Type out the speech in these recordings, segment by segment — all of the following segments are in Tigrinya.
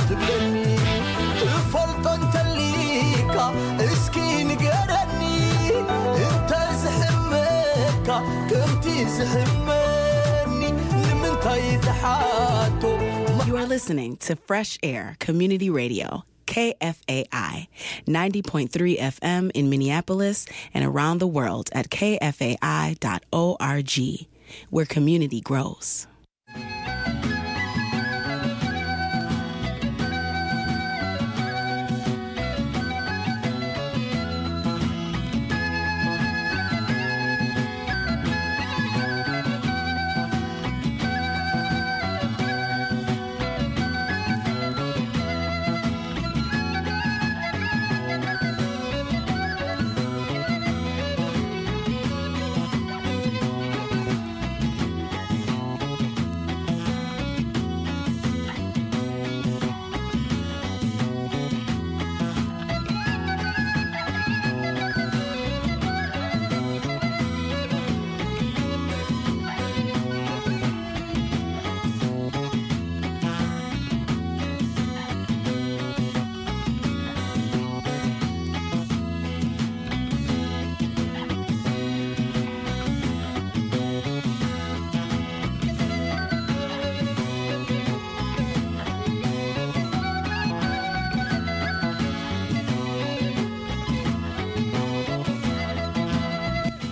ትብለኒ ትፈልጦ እንተሊካ እስኪ ንገረኒ እንተ ዝሕመካ ከምቲ ዝሕመኒ ንምንታይ ትሓቶ You are listening to Fresh Air Community Radio, K F A I, ninety point three F M in Minneapolis and around the world at K F A I dot org, where community grows.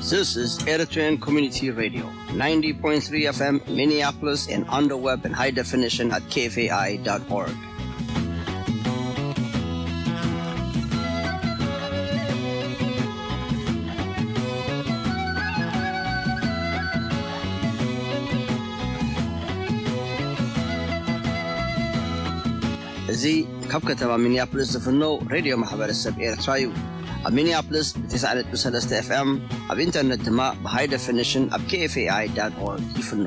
This is Eritrean Community Radio, ninety point three F M, Minneapolis, and on the web in high definition at K F A I dot org. እዚ ካብ ከተማ ሚኒያፖሊስ ዝፍኖ ሬድዮ ማሕበረሰብ ኤርትራ እዩ። ኣብ ሚኒያፖሊስ ብ90.3 F M፣ ኣብ ኢንተርነት ድማ ብ high definition ኣብ K F A I dot org ይፍኖ።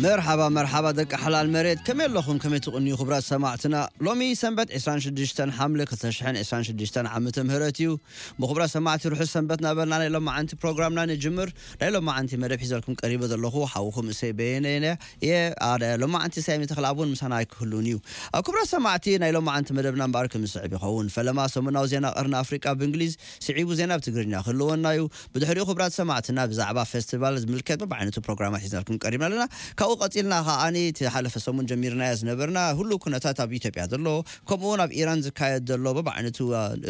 መርሓባ መርሓባ ደቂ ሓላል መሬት፣ ከመይ ኣለኹም? ከመይ ትቕንዩ ክቡራት ሰማዕትና? ሎሚ ሰንበት ዕስራን ሽዱሽተን ሓምለ ክልተ ሽሕን ዕስራን ሽዱሽተን ዓመተ ምህረት እዩ። ምኽቡራት ሰማዕቲ፣ ርሑስ ሰንበት ናበልና ናይ ሎማዓንቲ ፕሮግራምና ንጅምር። ናይ ሎማዓንቲ መደብ ሒዘልኩም ቀሪበ ዘለኹ ሓውኹም እሰይ በየነ እየ። እየ፣ ኣደ ሎማዓንቲ ሳይሚ ተኽልኣብ እውን ምሳና ኣይክህሉን እዩ። ኣብ ክቡራት ሰማዕቲ፣ ናይ ሎማዓንቲ መደብና እምበኣር ከም ዝስዕብ ይኸውን። ፈለማ ሰሙናዊ ዜና ቀርኒ ኣፍሪቃ ብእንግሊዝ፣ ስዒቡ ዜና ብትግርኛ ክህልወና እዩ። ብድሕሪኡ ክቡራት ሰማዕትና ብዛዕባ ፌስቲቫል ዝምልከት በብዓይነቱ ፕሮግራማት ሒዝናልኩም ቀሪብና ኣለና። ካብኡ ቀጺልና ከዓኒ እቲ ሓለፈ ሰሙን ጀሚርናዮ ዝነበርና ህሉው ኩነታት ኣብ ኢትዮጵያ ዘሎ፣ ከምኡ እውን ኣብ ኢራን ዝካየድ ዘሎ በብዓይነቱ፣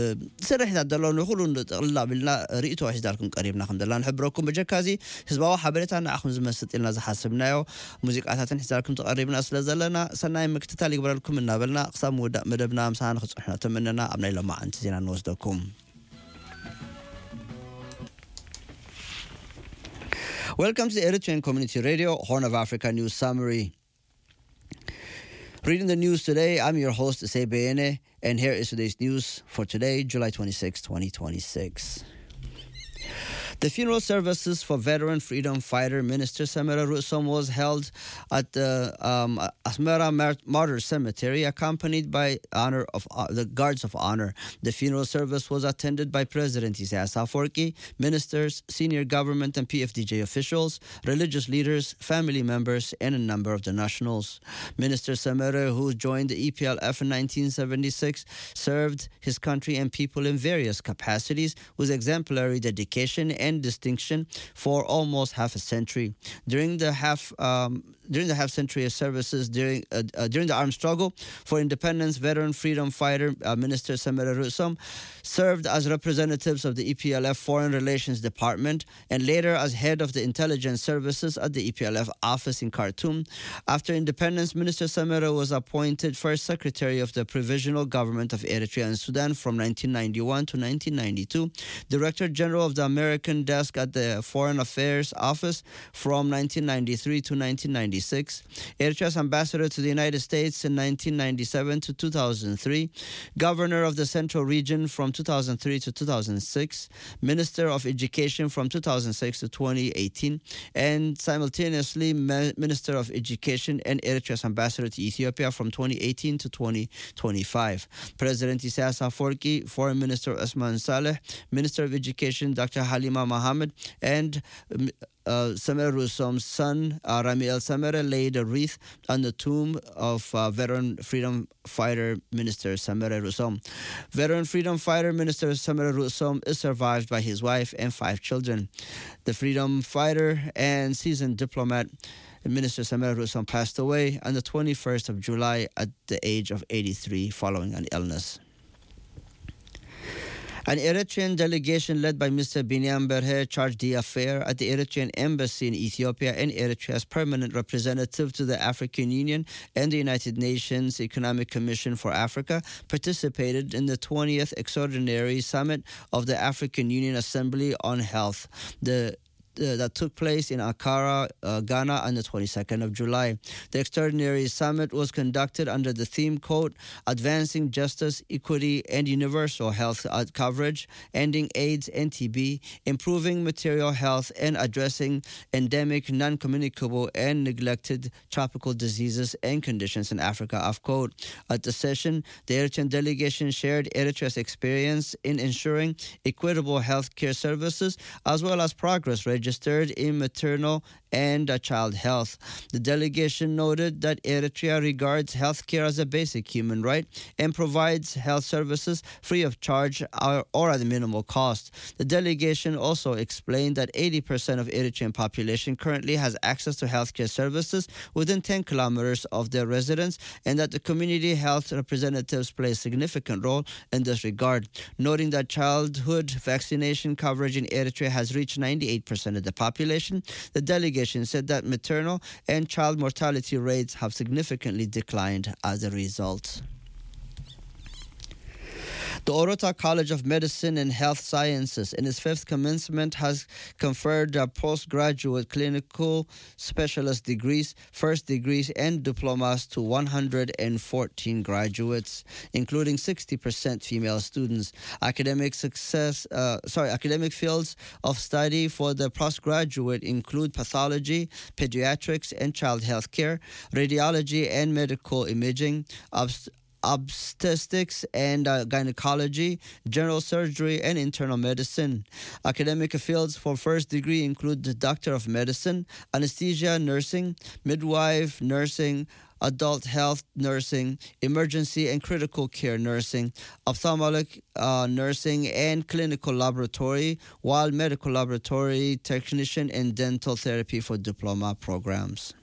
እ፣ ስርሒታት ዘሎ ንኹሉ ጥቕልል ኣቢልና ርእይቶ ሒዝናልኩም ቀሪብና ከም ዘለና ንሕብረኩም። በጀካ እዚ ህዝባዊ ሓበሬታ ንዓኹም ዝመስጥ ኢልና ዝሓሰብናዮ ሙዚቃታትን ሒዝናልኩም ተቐሪብና ስለ ዘለና ሰናይ ምክትታል ይግበረልኩም እናበልና ክሳብ ምውዳእ መደብና ምሳና ንክትጸንሑ እናተመነና ኣብ ናይ ሎማዓንቲ ዜና ንወስደኩም። Welcome to the Eritrean Community Radio, Horn of Africa News Summary. Reading the news today, I'm your host, Issei Beyene, and here is today's news for today, July twenty-sixth, twenty twenty-six. The funeral services for veteran freedom fighter Minister Semere Rusom was held at the, um, Asmera Mar-, Martyrs Cemetery, accompanied by honor of, uh, the Guards of Honor. The funeral service was attended by President Isaias Afwerki, ministers, senior government and P F D J officials, religious leaders, family members, and a number of the nationals. Minister Semere, who joined the E P L F in nineteen seventy-six, served his country and people in various capacities with exemplary dedication and distinction for almost half a century. During the half um, during the half century of services during uh, uh, during the armed struggle for independence, veteran freedom fighter uh, Minister Samira Rusum served as representatives of the E P L F Foreign Relations Department and later as head of the intelligence services at the E P L F office in Khartoum. After independence, Minister Samira was appointed first secretary of the provisional government of Eritrea and Sudan from nineteen ninety-one to nineteen ninety-two, director general of the American desk at the Foreign Affairs Office from nineteen ninety-three to nineteen ninety-six, Eritrea's ambassador to the United States in nineteen ninety-seven to two thousand three, governor of the Central Region from two thousand three to two thousand six, Minister of Education from two thousand six to twenty eighteen, and simultaneously Minister of Education and Eritrea's ambassador to Ethiopia from twenty eighteen to twenty twenty-five. President Isaias Afwerki, Foreign Minister Osman Saleh, Minister of Education Doctor Halima Mohammed, and uh, Samira Rusom's son, uh, Ramiel Samira, laid a wreath on the tomb of uh, veteran freedom fighter Minister Samira Rusom. Veteran freedom fighter Minister Samira Rusom is survived by his wife and five children. The freedom fighter and seasoned diplomat Minister Samira Rusom passed away on the twenty-first of July at the age of eighty-three following an illness. An Eritrean delegation led by Mister Binyam Berhe charged d'affaires at the Eritrean embassy in Ethiopia and Eritrea's permanent representative to the African Union and the United Nations Economic Commission for Africa participated in the twentieth Extraordinary Summit of the African Union Assembly on Health. The uh, that took place in Accra, uh, Ghana, on the twenty-second of July. The extraordinary summit was conducted under the theme code Advancing Justice, Equity, and Universal Health uh, Coverage, Ending AIDS and T B, Improving Material Health, and Addressing Endemic, Non-Communicable, and Neglected Tropical Diseases and Conditions in Africa, of code. At the session, the Eritrean delegation shared Eritrea's experience in ensuring equitable health care services, as well as progress registered in maternal and uh, child health. The delegation noted that Eritrea regards health care as a basic human right and provides health services free of charge or, or at a minimal cost. The delegation also explained that eighty percent of Eritrean population currently has access to healthcare services within ten kilometers of their residence, and that the community health representatives play a significant role in this regard. Noting that childhood vaccination coverage in Eritrea has reached ninety-eight percent of the population, the delegation said that maternal and child mortality rates have significantly declined as a result. The Orota College of Medicine and Health Sciences, in its fifth commencement, has conferred uh, postgraduate clinical specialist degrees, first degrees, and diplomas to one hundred fourteen graduates, including sixty percent female students. Academic success, uh, sorry, academic fields of study for the postgraduate include pathology, pediatrics, and child health care, radiology and medical imaging, obst- obstetrics and uh, gynecology, general surgery, and internal medicine. Academic fields for first degree include the Doctor of Medicine, anesthesia, nursing, midwife, nursing, adult health nursing, emergency and critical care nursing, ophthalmic uh, nursing, and clinical laboratory, while medical laboratory technician and dental therapy for diploma programs.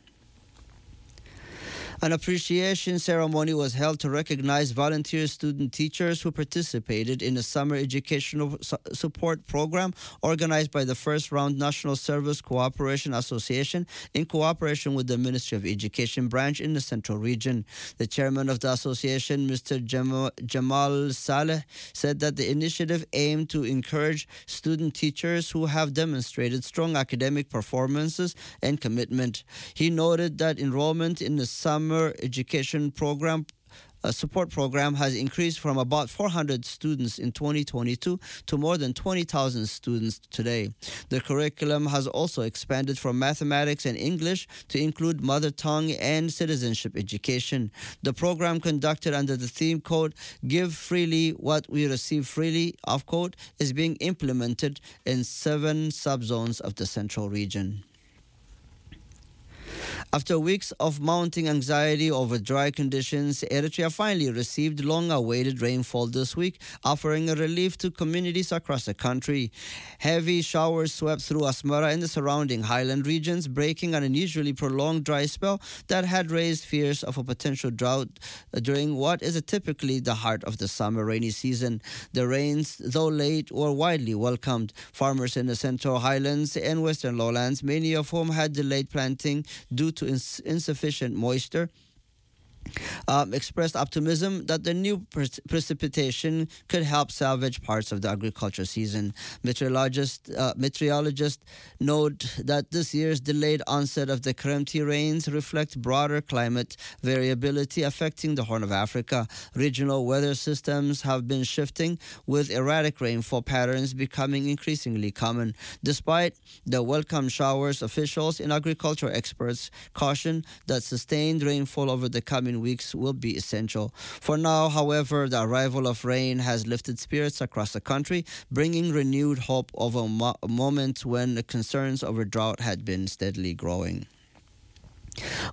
An appreciation ceremony was held to recognize volunteer student teachers who participated in a summer educational su- support program organized by the First Round National Service Cooperation Association in cooperation with the Ministry of Education branch in the Central Region. The chairman of the association, Mister Jam- Jamal Saleh, said that the initiative aimed to encourage student teachers who have demonstrated strong academic performances and commitment. He noted that enrollment in the summer education program a support program has increased from about four hundred students in twenty twenty-two to more than twenty thousand students today. The curriculum has also expanded from mathematics and English to include mother tongue and citizenship education. The program, conducted under the theme code Give Freely What We Receive Freely, of code, is being implemented in seven subzones of the central region. After weeks of mounting anxiety over dry conditions, Eritrea finally received long awaited rainfall this week, offering a relief to communities across the country. Heavy showers swept through Asmara and the surrounding highland regions, breaking an unusually prolonged dry spell that had raised fears of a potential drought during what is typically the heart of the summer rainy season. The rains, though late, were widely welcomed. Farmers in the Central Highlands and Western Lowlands, many of whom had delayed planting due to ins- insufficient moisture, um, expressed optimism that the new pre- precipitation could help salvage parts of the agriculture season. Meteorologist, uh, meteorologist note that this year's delayed onset of the Kremti rains reflect broader climate variability affecting the Horn of Africa. Regional weather systems have been shifting, with erratic rainfall patterns becoming increasingly common. Despite the welcome showers, officials and agricultural experts caution that sustained rainfall over the coming weeks will be essential. For now, however, the arrival of rain has lifted spirits across the country, bringing renewed hope over mo- moments when the concerns over drought had been steadily growing.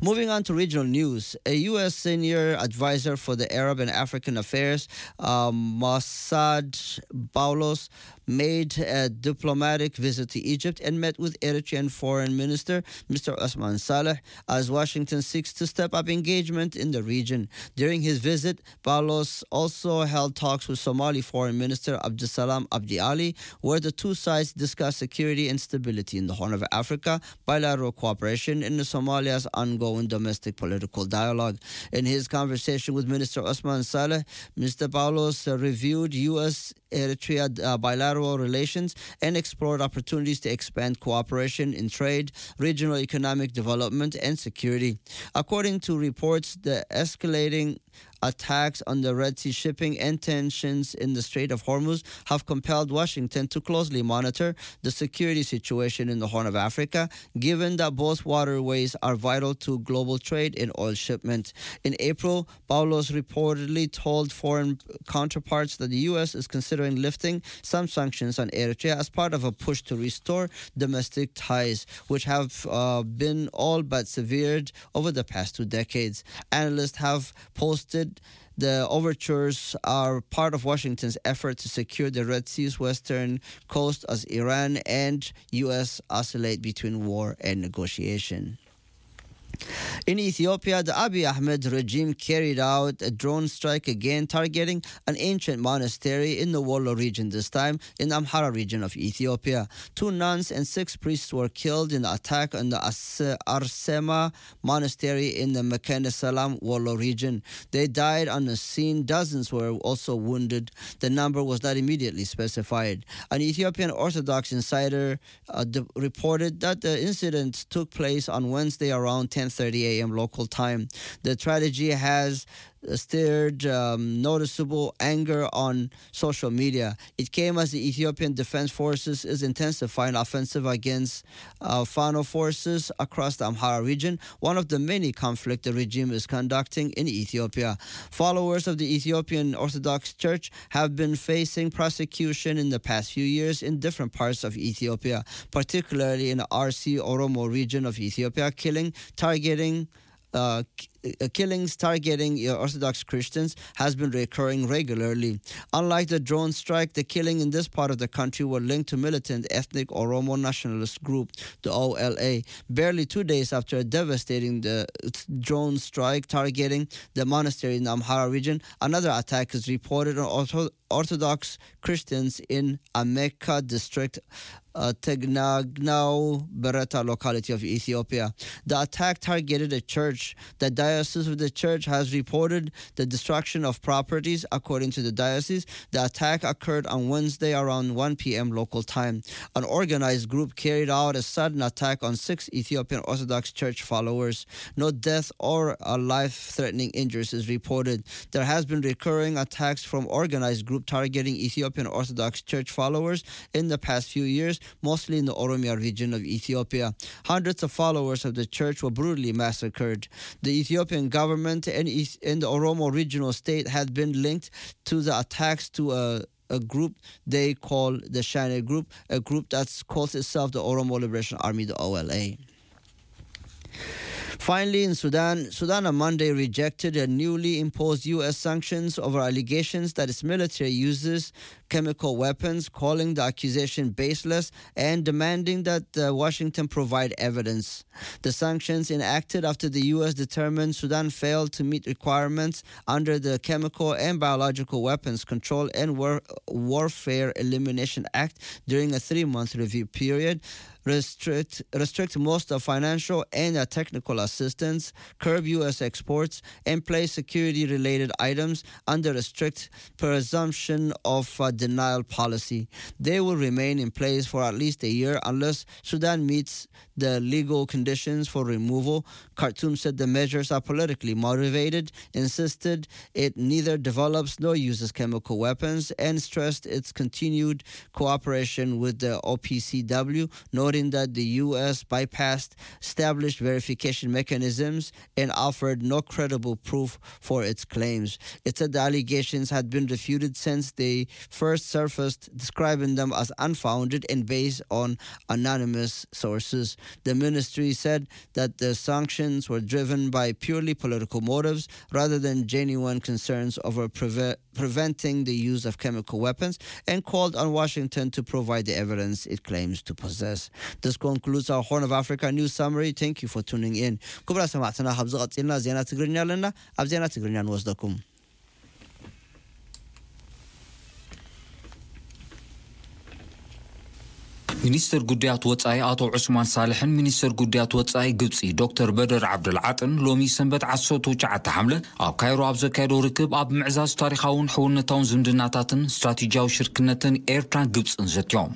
Moving on to regional news, a U S senior advisor for the Arab and African affairs, uh, Mossad Boulos, made a diplomatic visit to Egypt and met with Eritrean Foreign Minister Mister Osman Saleh as Washington seeks to step up engagement in the region. During his visit, Boulos also held talks with Somali Foreign Minister Abdulsalam Abdi Ali, where the two sides discussed security and stability in the Horn of Africa, bilateral cooperation, and Somalia's ongoing domestic political dialogue. In his conversation with Minister Osman Saleh, Mister Boulos, uh, reviewed U S Eritrea, uh, bilateral relations and explored opportunities to expand cooperation in trade, regional economic development, and security. According to reports, the escalating attacks on the Red Sea shipping and tensions in the Strait of Hormuz have compelled Washington to closely monitor the security situation in the Horn of Africa, given that both waterways are vital to global trade and oil shipment. In April, Boulos reportedly told foreign counterparts that the U S is considering lifting some sanctions on Eritrea as part of a push to restore domestic ties, which have, uh, been all but severed over the past two decades. Analysts have posted the overtures are part of Washington's effort to secure the Red Sea's western coast as Iran and U S oscillate between war and negotiation. In Ethiopia, the Abiy Ahmed regime carried out a drone strike again, targeting an ancient monastery in the Wollo region, this time in Amhara region of Ethiopia. Two nuns and six priests were killed in the attack on the As- Arsema Monastery in the Mekane Salam Wollo region. They died on the scene. Dozens were also wounded. The number was not immediately specified. An Ethiopian Orthodox insider, uh, d- reported that the incident took place on Wednesday around ten thirty a m local time. The tragedy has stirred, um, noticeable anger on social media. It came as the Ethiopian Defense Forces is intensifying offensive against, uh, Fano forces across the Amhara region, one of the many conflict the regime is conducting in Ethiopia. Followers of the Ethiopian Orthodox Church have been facing prosecution in the past few years in different parts of Ethiopia, particularly in the R C Oromo region of Ethiopia, killing, targeting, uh, k- uh, killings targeting, uh, Orthodox Christians has been recurring regularly. Unlike the drone strike, the killing in this part of the country were linked to militant ethnic Oromo nationalist group, the O L A. Barely two days after a devastating the drone strike targeting the monastery in the Amhara region, another attack is reported on Ortho- Orthodox Christians in Ameka district, uh, Tegnagnau Bereta locality of Ethiopia. The attack targeted a church. The diocese of the church has reported the destruction of properties. According to the diocese, the attack occurred on Wednesday around one p m local time. An organized group carried out a sudden attack on six Ethiopian Orthodox Church followers. No death or, uh, life-threatening injuries is reported. There has been recurring attacks from organized group targeting Ethiopian Orthodox Church followers in the past few years, mostly in the Oromia region of Ethiopia. Hundreds of followers of the church were brutally massacred. The Ethiopian government and, Eth- and the Oromo regional state had been linked to the attacks to a, a group they call the Shane group, a group that calls itself the Oromo Liberation Army, the O L A. Finally, in Sudan, Sudan on Monday rejected a newly imposed U S sanctions over allegations that its military uses chemical weapons, calling the accusation baseless and demanding that uh, Washington provide evidence. The sanctions enacted after the U S determined Sudan failed to meet requirements under the Chemical and Biological Weapons Control and War- Warfare Elimination Act during a three month review period, restrict, restrict most of financial and uh, technical assistance, curb U S exports, and place security related items under a strict presumption of uh, denial policy. They will remain in place for at least a year unless Sudan meets the legal conditions for removal. Khartoum said the measures are politically motivated, insisted it neither develops nor uses chemical weapons, and stressed its continued cooperation with the O P C W, noting that the U S bypassed established verification mechanisms and offered no credible proof for its claims. It said the allegations had been refuted since they first surfaced, describing them as unfounded and based on anonymous sources. The ministry said that the sanctions were driven by purely political motives rather than genuine concerns over preve- preventing the use of chemical weapons and called on Washington to provide the evidence it claims to possess. This concludes our Horn of Africa news summary. Thank you for tuning in. ክቡራት ሰማዕትና፣ ካብዚ ቀፂልና ዜና ትግርኛ ኣለና። ኣብ ዜና ትግርኛ ንወስደኩም። ሚኒስትር ጉዳያት ወጻኢ ኣቶ ዑስማን ሳልሕን ሚኒስትር ጉዳያት ወጻኢ ግብጺ ዶክተር በደር ዓብደልዓጥን ሎሚ ሰንበት ዓሰርተ ትሽዓተ ሓምለ ኣብ ካይሮ ኣብ ዘካየዶ ርክብ ኣብ ምዕዛዝ ታሪኻውን ሕውነታውን ዝምድናታትን ስትራቴጂያዊ ሽርክነትን ኤርትራን ግብጽን ዘትዮም።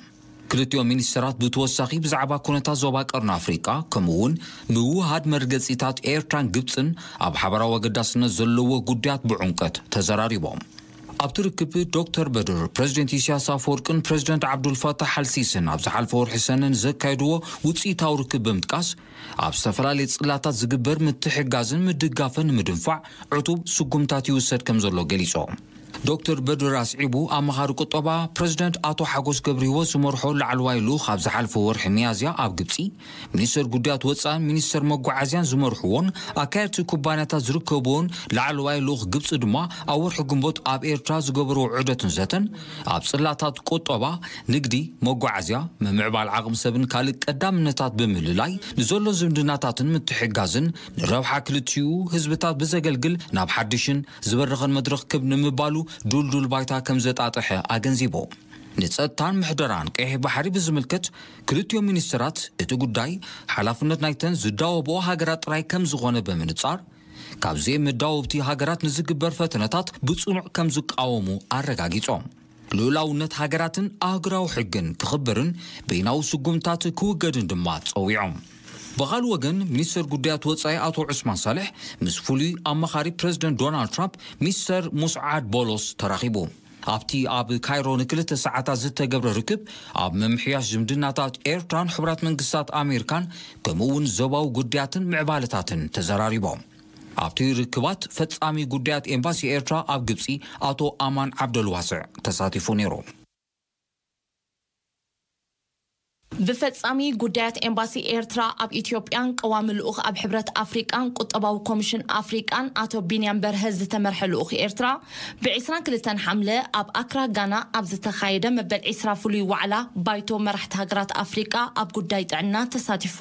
ክልቲኦም ሚኒስትራት ብተወሳኺ ብዛዕባ ኩነታት ዞባ ቀርኒ ኣፍሪቃ ከምኡ እውን ምውሃድ መርገጺታት ኤርትራን ግብጽን ኣብ ሓበራዊ ኣገዳስነት ዘለዎ ጉዳያት ብዕምቀት ተዘራሪቦም። ኣብቲ ርክብ ዶክተር በድር ፕረዚደንት ኢሳያስ ኣፈወርቅን ፕረዚደንት ዓብዱልፋታሕ ኣልሲስን ኣብ ዝሓለፈ ወርሒ ሰነ ንዘካየድዎ ውፅኢታዊ ርክብ ብምጥቃስ ኣብ ዝተፈላለዩ ፅላታት ዝግበር ምትሕጋዝን ምድጋፍን ንምድንፋዕ ዕቱብ ስጉምታት ይውሰድ ከም ዘሎ ገሊፆም። ዶክተር በድር ኣስዒቡ ኣማኻሪ ቁጠባ ፕረዚደንት ኣቶ ሓጎስ ገብረ ህይወት ዝመርሖ ላዕለዋይ ልኡኽ ኣብ ዝሓለፈ ወርሒ ሚያዝያ ኣብ ግብፂ ሚኒስተር ጉዳያት ወፃእን ሚኒስተር መጓዓዝያን ዝመርሕዎን ኣካየድቲ ኩባንያታት ዝርከብዎን ላዕለዋይ ልኡኽ ግብፂ ድማ ኣብ ወርሒ ግንቦት ኣብ ኤርትራ ዝገበርዎ ዑደትን ዘተን ኣብ ፅላታት ቁጠባ፣ ንግዲ፣ መጓዓዝያ፣ ምምዕባል ዓቕሚ ሰብን ካልእ ቀዳምነታት ብምልላይ ንዘሎ ዝምድናታትን ምትሕጋዝን ንረብሓ ክልቲኡ ህዝብታት ብዘገልግል ናብ ሓድሽን ዝበረኸን መድረኽ ክብ ንምባሉ ዱልዱል ባይታ ከም ዘጣጠሐ ኣገንዚቡ። ንጸጥታን ምሕደራን ቀይሕ ባሕሪ ብዝምልከት ክልቲኦም ሚኒስትራት እቲ ጉዳይ ሓላፍነት ናይተን ዝዳወብኦ ሃገራት ጥራይ ከም ዝኾነ ብምንጻር፣ ካብ ዘይመዳወብቲ ሃገራት ንዝግበር ፈተነታት ብጽኑዕ ከም ዝቃወሙ ኣረጋጊጾም። ልኡላውነት ሃገራትን ኣህጉራዊ ሕግን ክኽበርን በይናዊ ስጉምታት ክውገድን ድማ ጸዊዖም። ብኻልእ ወገን፣ ሚኒስተር ጉዳያት ወጻኢ ኣቶ ዑስማን ሳልሕ ምስ ፍሉይ ኣማኻሪ ፕረዚደንት ዶናልድ ትራምፕ ሚስተር ሙስዓድ ቦሎስ ተራኺቡ። ኣብቲ ኣብ ካይሮ ንክልተ ሰዓታት ዝተገብረ ርክብ፣ ኣብ ምምሕያሽ ዝምድናታት ኤርትራን ሕቡራት መንግስታት ኣሜሪካን፣ ከምኡ እውን ዞባዊ ጉዳያትን ምዕባለታትን ተዘራሪቦም። ኣብቲ ርክባት፣ ፈጻሚ ጉዳያት ኤምባሲ ኤርትራ ኣብ ግብጺ ኣቶ ኣማን ዓብደልዋስዕ ተሳቲፉ ነይሩ። ብፈጻሚ ጉዳያት ኤምባሲ ኤርትራ ኣብ ኢትዮጵያን ቀዋሚ ልኡኽ ኣብ ሕብረት ኣፍሪቃን ቁጠባዊ ኮሚሽን ኣፍሪቃን ኣቶ ቢንያም በርሀ ዝተመርሐ ልኡኽ ኤርትራ፣ ብ ዕስራን ክልተን ሓምለ ኣብ ኣክራ ጋና ኣብ ዝተኻየደ መበል ዕስራ ፍሉይ ዋዕላ ባይቶ መራሕቲ ሃገራት ኣፍሪቃ ኣብ ጉዳይ ጥዕና ተሳቲፉ።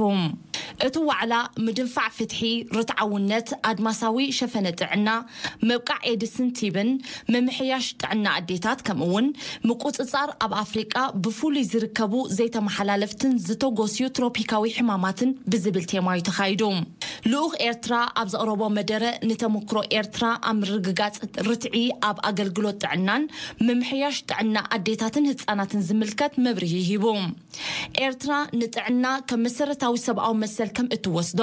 እቲ ዋዕላ፣ ምድንፋዕ ፍትሒ፣ ርትዓውነት፣ ኣድማሳዊ ሸፈነ ጥዕና፣ ምብቃዕ ኤድስን ቲብን፣ ምምሕያሽ ጥዕና ኣዴታት፣ ከምኡ'ውን ምቁጽጻር ኣብ ኣፍሪቃ ብፍሉይ ዝርከቡ ዘይተመሓላለፍትን ዝተጎስዩ ትሮፒካዊ ሕማማትን ብዝብል ቴማ'ዩ ተኻይዱ። ልኡኽ ኤርትራ ኣብ ዘቕረቦ መደረ፣ ንተመክሮ ኤርትራ ኣብ ምርግጋጽ ርትዒ ኣብ ኣገልግሎት ጥዕናን ምምሕያሽ ጥዕና ኣዴታትን ህጻናትን ዝምልከት መብርሂ ሂቡ። ኤርትራ ንጥዕና ከም መሰረታዊ ሰብኣዊ መሰል ከም እትወስዶ፣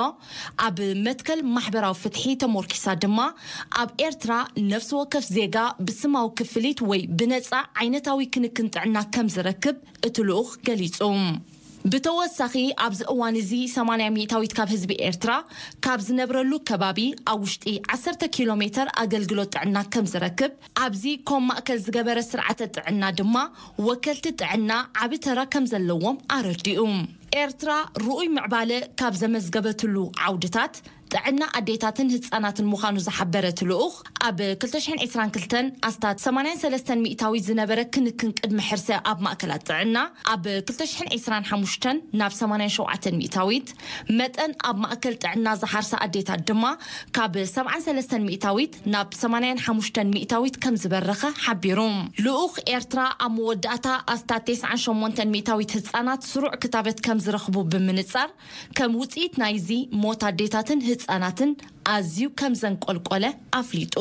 ኣብ መትከል ማሕበራዊ ፍትሒ ተሞርኪሳ ድማ፣ ኣብ ኤርትራ ነፍሲ ወከፍ ዜጋ ብስማዊ ክፍሊት ወይ ብነጻ ዓይነታዊ ክንክን ጥዕና ከም ዝረክብ እቲ ልኡኽ ገሊጹ። ብተወሳኺ፣ ኣብዚ እዋን እዚ ሰማንያ ሚእታዊት ካብ ህዝቢ ኤርትራ ካብ ዝነብረሉ ከባቢ ኣብ ውሽጢ ዓሰርተ ኪሎ ሜተር ኣገልግሎት ጥዕና ከም ዝረክብ፣ ኣብዚ ኮም ማእከል ዝገበረ ስርዓተ ጥዕና ድማ ወከልቲ ጥዕና ዓቢ ተራ ከም ዘለዎም ኣረዲኡ። ኤርትራ ርኡይ ምዕባለ ካብ ዘመዝገበትሉ ዓውድታት፣ ጥዕና ኣዴታትን ህጻናትን ምዃኑ ዝሓበረ እቲ ልኡኽ፣ ኣብ ክልተ ሽሕን ዕስራን ክልተን ኣስታት ሰማንያን ሰለስተን ሚእታዊት ዝነበረ ክንክን ቅድመ ሕርሲ ኣብ ማእከላት ጥዕና፣ ኣብ ክልተ ሽሕን ዕስራን ሓሙሽተን ናብ ሰማንያን ሸውዓተን ሚእታዊት፣ መጠን ኣብ ማእከል ጥዕና ዝሓርሳ ኣዴታት ድማ ካብ ሰብዓን ሰለስተን ሚእታዊት ናብ ሰማንያን ሓሙሽተን ሚእታዊት ከም ዝበረኸ ሓቢሩ። ልኡኽ ኤርትራ ኣብ መወዳእታ ኣስታት ተስዓን ሸሞንተን ሚእታዊት ህጻናት ስሩዕ ክታበት ከም ዝረኽቡ ብምንጻር፣ ከም ውጽኢት ናይዚ ሞት ኣዴታትን ህጻናትን ኣዝዩ ከም ዘንቆልቆለ ኣፍሊጡ።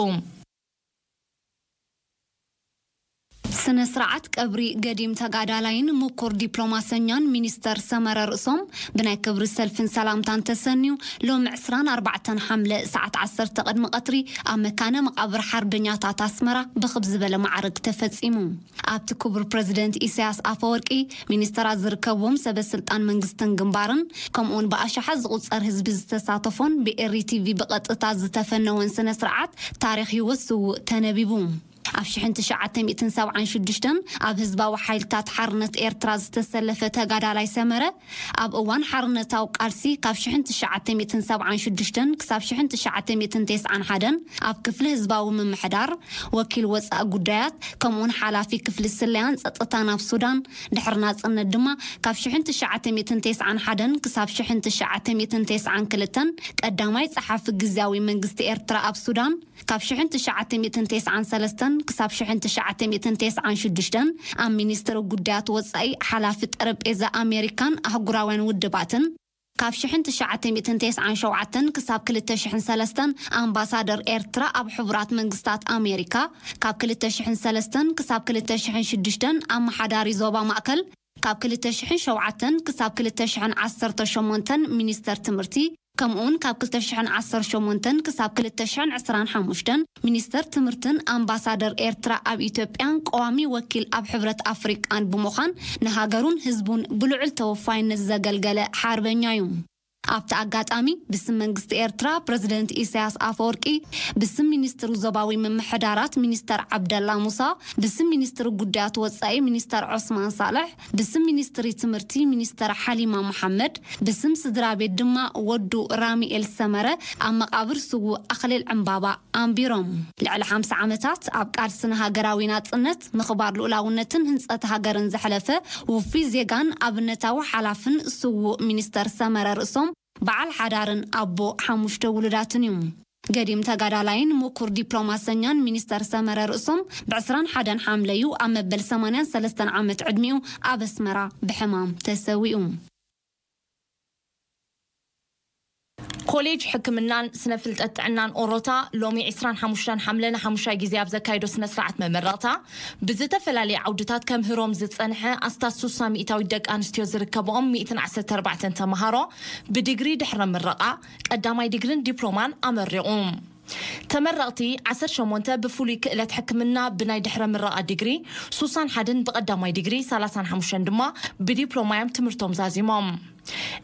ስነ ስርዓት ቀብሪ ገዲም ተጋዳላይን ምኩር ዲፕሎማሰኛን ሚኒስተር ሰመረ ርእሶም ብናይ ክብሪ ሰልፍን ሰላምታን ተሰንዩ፣ ሎሚ ዕስራን ኣርባዕተን ሓምለ ሰዓት ዓሰርተ ቅድሚ ቀትሪ ኣብ መካነ መቓብር ሓርበኛታት ኣስመራ ብኽብ ዝበለ ማዕርግ ተፈጺሙ። ኣብቲ ክቡር ፕረዚደንት ኢሳያስ ኣፈወርቂ፣ ሚኒስተራት ዝርከብዎም ሰበ ስልጣን መንግስትን ግንባርን፣ ከምኡውን ብኣሽሓት ዝቑጸር ህዝቢ ዝተሳተፎን ብኤሪ ቲቪ ብቐጥታ ዝተፈነወን ስነ ስርዓት ታሪኽ ህይወት ስዉእ ተነቢቡ። ኣብ ሽሕን ትሽዓተ ሚእትን ሰብዓን ሽዱሽተን ኣብ ህዝባዊ ሓይልታት ሓርነት ኤርትራ ዝተሰለፈ ተጋዳላይ ሰመረ፣ ኣብ እዋን ሓርነታዊ ቃልሲ ካብ ሽሕን ትሽዓተ ሚእትን ሰብዓን ሽዱሽተን ክሳብ ሽሕን ትሽዓተ ሚእትን ተስዓን ሓደን ኣብ ክፍሊ ህዝባዊ ምምሕዳር፣ ወኪል ወጻኢ ጉዳያት፣ ከምኡውን ሓላፊ ክፍሊ ስለያን ጸጥታን ኣብ ሱዳን፣ ድሕሪ ናጽነት ድማ ካብ ሽሕን ትሽዓተ ሚእትን ተስዓን ሓደን ክሳብ ሽሕን ትሽዓተ ሚእትን ተስዓን ክልተን ቀዳማይ ጸሓፊ ግዝያዊ መንግስቲ ኤርትራ ኣብ ሱዳን፣ ካብ ሽሕን ትሽዓተ ሚእትን ተስዓን ሰለስተን ክሳብ ሽሕን ትሽዓተ ሚእትን ተስዓን ሽዱሽተን ኣብ ሚኒስትሪ ጉዳያት ወጻኢ ሓላፊ ጠረጴዛ ኣሜሪካን ኣህጉራውያን ውድባትን፣ ካብ ሽሕን ትሽዓተ ሚእትን ተስዓን ሸውዓተን ክሳብ ክልተ ሽሕን ሰለስተን ኣምባሳደር ኤርትራ ኣብ ሕቡራት መንግስታት ኣሜሪካ፣ ካብ ክልተ ሽሕን ሰለስተን ክሳብ ክልተ ሽሕን ሽዱሽተን ኣመሓዳሪ ዞባ ማእከል፣ ካብ ክልተ ሽሕን ሸውዓተን ክሳብ ክልተ ሽሕን ዓሰርተ ሸሞንተን ሚኒስተር ትምህርቲ፣ ከምኡውን ካብ ክልተ ሽሕን ዓሰርተ ሸሞንተን ክሳብ ክልተ ሽሕን ዕስራን ሓሙሽተን ሚኒስተር ትምህርትን ኣምባሳደር ኤርትራ ኣብ ኢትዮጵያን ቀዋሚ ወኪል ኣብ ሕብረት ኣፍሪቃን ብምዃን ንሃገሩን ህዝቡን ብልዑል ተወፋይነት ዘገልገለ ሓርበኛ እዩ። ኣብቲ ኣጋጣሚ ብስም መንግስቲ ኤርትራ ፕረዚደንት ኢሳያስ ኣፈወርቂ፣ ብስም ሚኒስትሩ ዞባዊ ምምሕዳራት ሚኒስተር ዓብደላ ሙሳ፣ ብስም ሚኒስትሪ ጉዳያት ወጻኢ ሚኒስተር ዑስማን ሳልሕ፣ ብስም ሚኒስትሪ ትምህርቲ ሚኒስተር ሓሊማ መሓመድ፣ ብስም ስድራ ቤት ድማ ወዱ ራሚኤል ሰመረ ኣብ መቓብር ስዉእ ኣኽሊል ዕምባባ ኣንቢሮም። ልዕሊ ሓምሳ ዓመታት ኣብ ቃልሲ ንሃገራዊ ናጽነት፣ ምኽባር ልኡላውነትን ህንጸት ሃገርን ዘሕለፈ ውፉይ ዜጋን ኣብነታዊ ሓላፍን ስዉእ ሚኒስተር ሰመረ ርእሶም በዓል ሓዳርን ኣቦ ሓሙሽተ ውሉዳትን እዩ። ገዲም ተጋዳላይን ምኩር ዲፕሎማሰኛን ሚኒስተር ሰመረ ርእሶም ብ ዕስራን ሓደን ሓምለዩ ኣብ መበል ሰማንያን ሰለስተን ዓመት ዕድሚኡ ኣብ ኣስመራ ብሕማም ተሰዊኡ። ኮሌጅ ሕክምናን ስነ ፍልጠት ጥዕናን ኦሮታ ሎሚ ዕስራን ሓሙሽተን ሓምለ ንሓሙሻይ ግዜ ኣብ ዘካየዶ ስነ ስርዓት መመረቕታ ብዝተፈላለየ ዓውድታት ከምህሮም ዝጸንሐ ኣስታት ሱሳ ሚእታዊት ደቂ ኣንስትዮ ዝርከብኦም ሚእትን ዓሰርተ ኣርባዕተን ተምሃሮ ብዲግሪ ድሕረ ምረቓ ቀዳማይ ዲግሪን ዲፕሎማን ኣመሪቑ። ተመረቕቲ ዓሰርተ ሸሞንተ ብፍሉይ ክእለት ሕክምና ብናይ ድሕረ ምረቓ ዲግሪ፣ ሱሳን ሓደን ብቐዳማይ ዲግሪ፣ ሰላሳን ሓሙሽተን ድማ ብዲፕሎማ እዮም ትምህርቶም ዛዚሞም።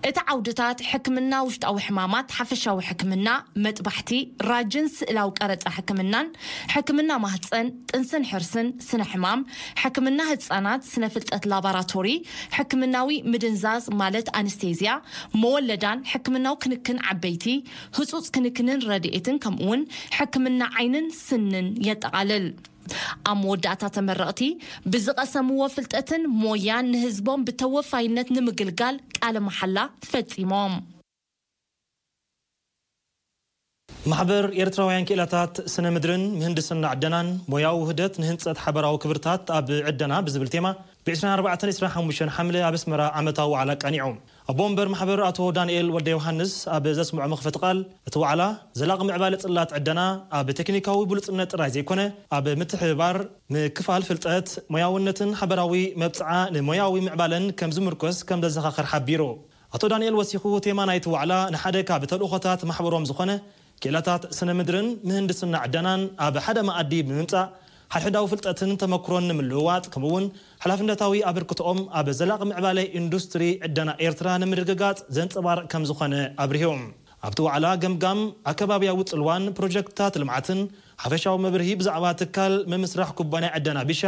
እቲ ዓውድታት ሕክምና ውሽጣዊ ሕማማት፣ ሓፈሻዊ ሕክምና፣ መጥባሕቲ፣ ራጅን ስእላዊ ቀረጻ ሕክምናን፣ ሕክምና ማህጸን፣ ጥንስን ሕርስን፣ ስነ ሕማም፣ ሕክምና ህጻናት፣ ስነ ፍልጠት ላባራቶሪ፣ ሕክምናዊ ምድንዛዝ ማለት ኣንስቴዝያ፣ መወለዳን ሕክምናዊ ክንክን ዓበይቲ፣ ህጹጽ ክንክንን ረድኤትን፣ ከምኡውን ሕክምና ዓይንን ስንን የጠቓልል። ኣብ መወዳእታ ተመረቕቲ ብዝቐሰምዎ ፍልጠትን ሞያን ንህዝቦም ብተወፋይነት ንምግልጋል ቃለ መሓላ ፈጺሞም። ማሕበር ኤርትራውያን ክኢላታት ስነ ምድርን ምህንድስና ዕደናን ሞያዊ ውህደት ንህንጸት ሓበራዊ ክብርታት ኣብ ዕደና ብዝብል ቴማ ብ ዕስራን ኣርባዕተን ዕስራን ሓሙሽተን ሓምለ ኣብ ኣስመራ ዓመታዊ ዋዕላ ኣቃኒዑ። ኣቦ ወንበር ማሕበር ኣቶ ዳንኤል ወልደ ዮሃንስ ኣብ ዘስምዖ መኽፈቲ ቃል፣ እቲ ዋዕላ ዘላቒ ምዕባለ ጽላት ዕደና ኣብ ቴክኒካዊ ብሉጽነት ጥራይ ዘይኮነ፣ ኣብ ምትሕብባር፣ ምክፋል ፍልጠት፣ ሞያውነትን ሓበራዊ መብጽዓ ንሞያዊ ምዕባለን ከም ዝምርኮስ ከም ዘዘኻኽር ሓቢሩ። ኣቶ ዳንኤል ወሲኹ፣ ቴማ ናይቲ ዋዕላ ንሓደ ካብ ተልእኾታት ማሕበሮም ዝኾነ ክኢላታት ስነ ምድርን ምህንድስና ዕደናን ኣብ ሓደ መኣዲ ብምምጻእ፣ ሓድሕዳዊ ፍልጠትን ተመክሮን ንምልውዋጥ፣ ከምኡ'ውን ሓላፍነታዊ ኣበርክቶኦም ኣብ ዘላቒ ምዕባለ ኢንዱስትሪ ዕደና ኤርትራ ንምርግጋጽ ዘንጸባርቕ ከም ዝኾነ ኣብሪሆም። ኣብቲ ዋዕላ፣ ገምጋም ኣከባብያዊ ጽልዋን ፕሮጀክትታት ልምዓትን፣ ሓፈሻዊ መብርሂ ብዛዕባ ትካል ምምስራሕ ኩባንያ ዕደና ቢሻ፣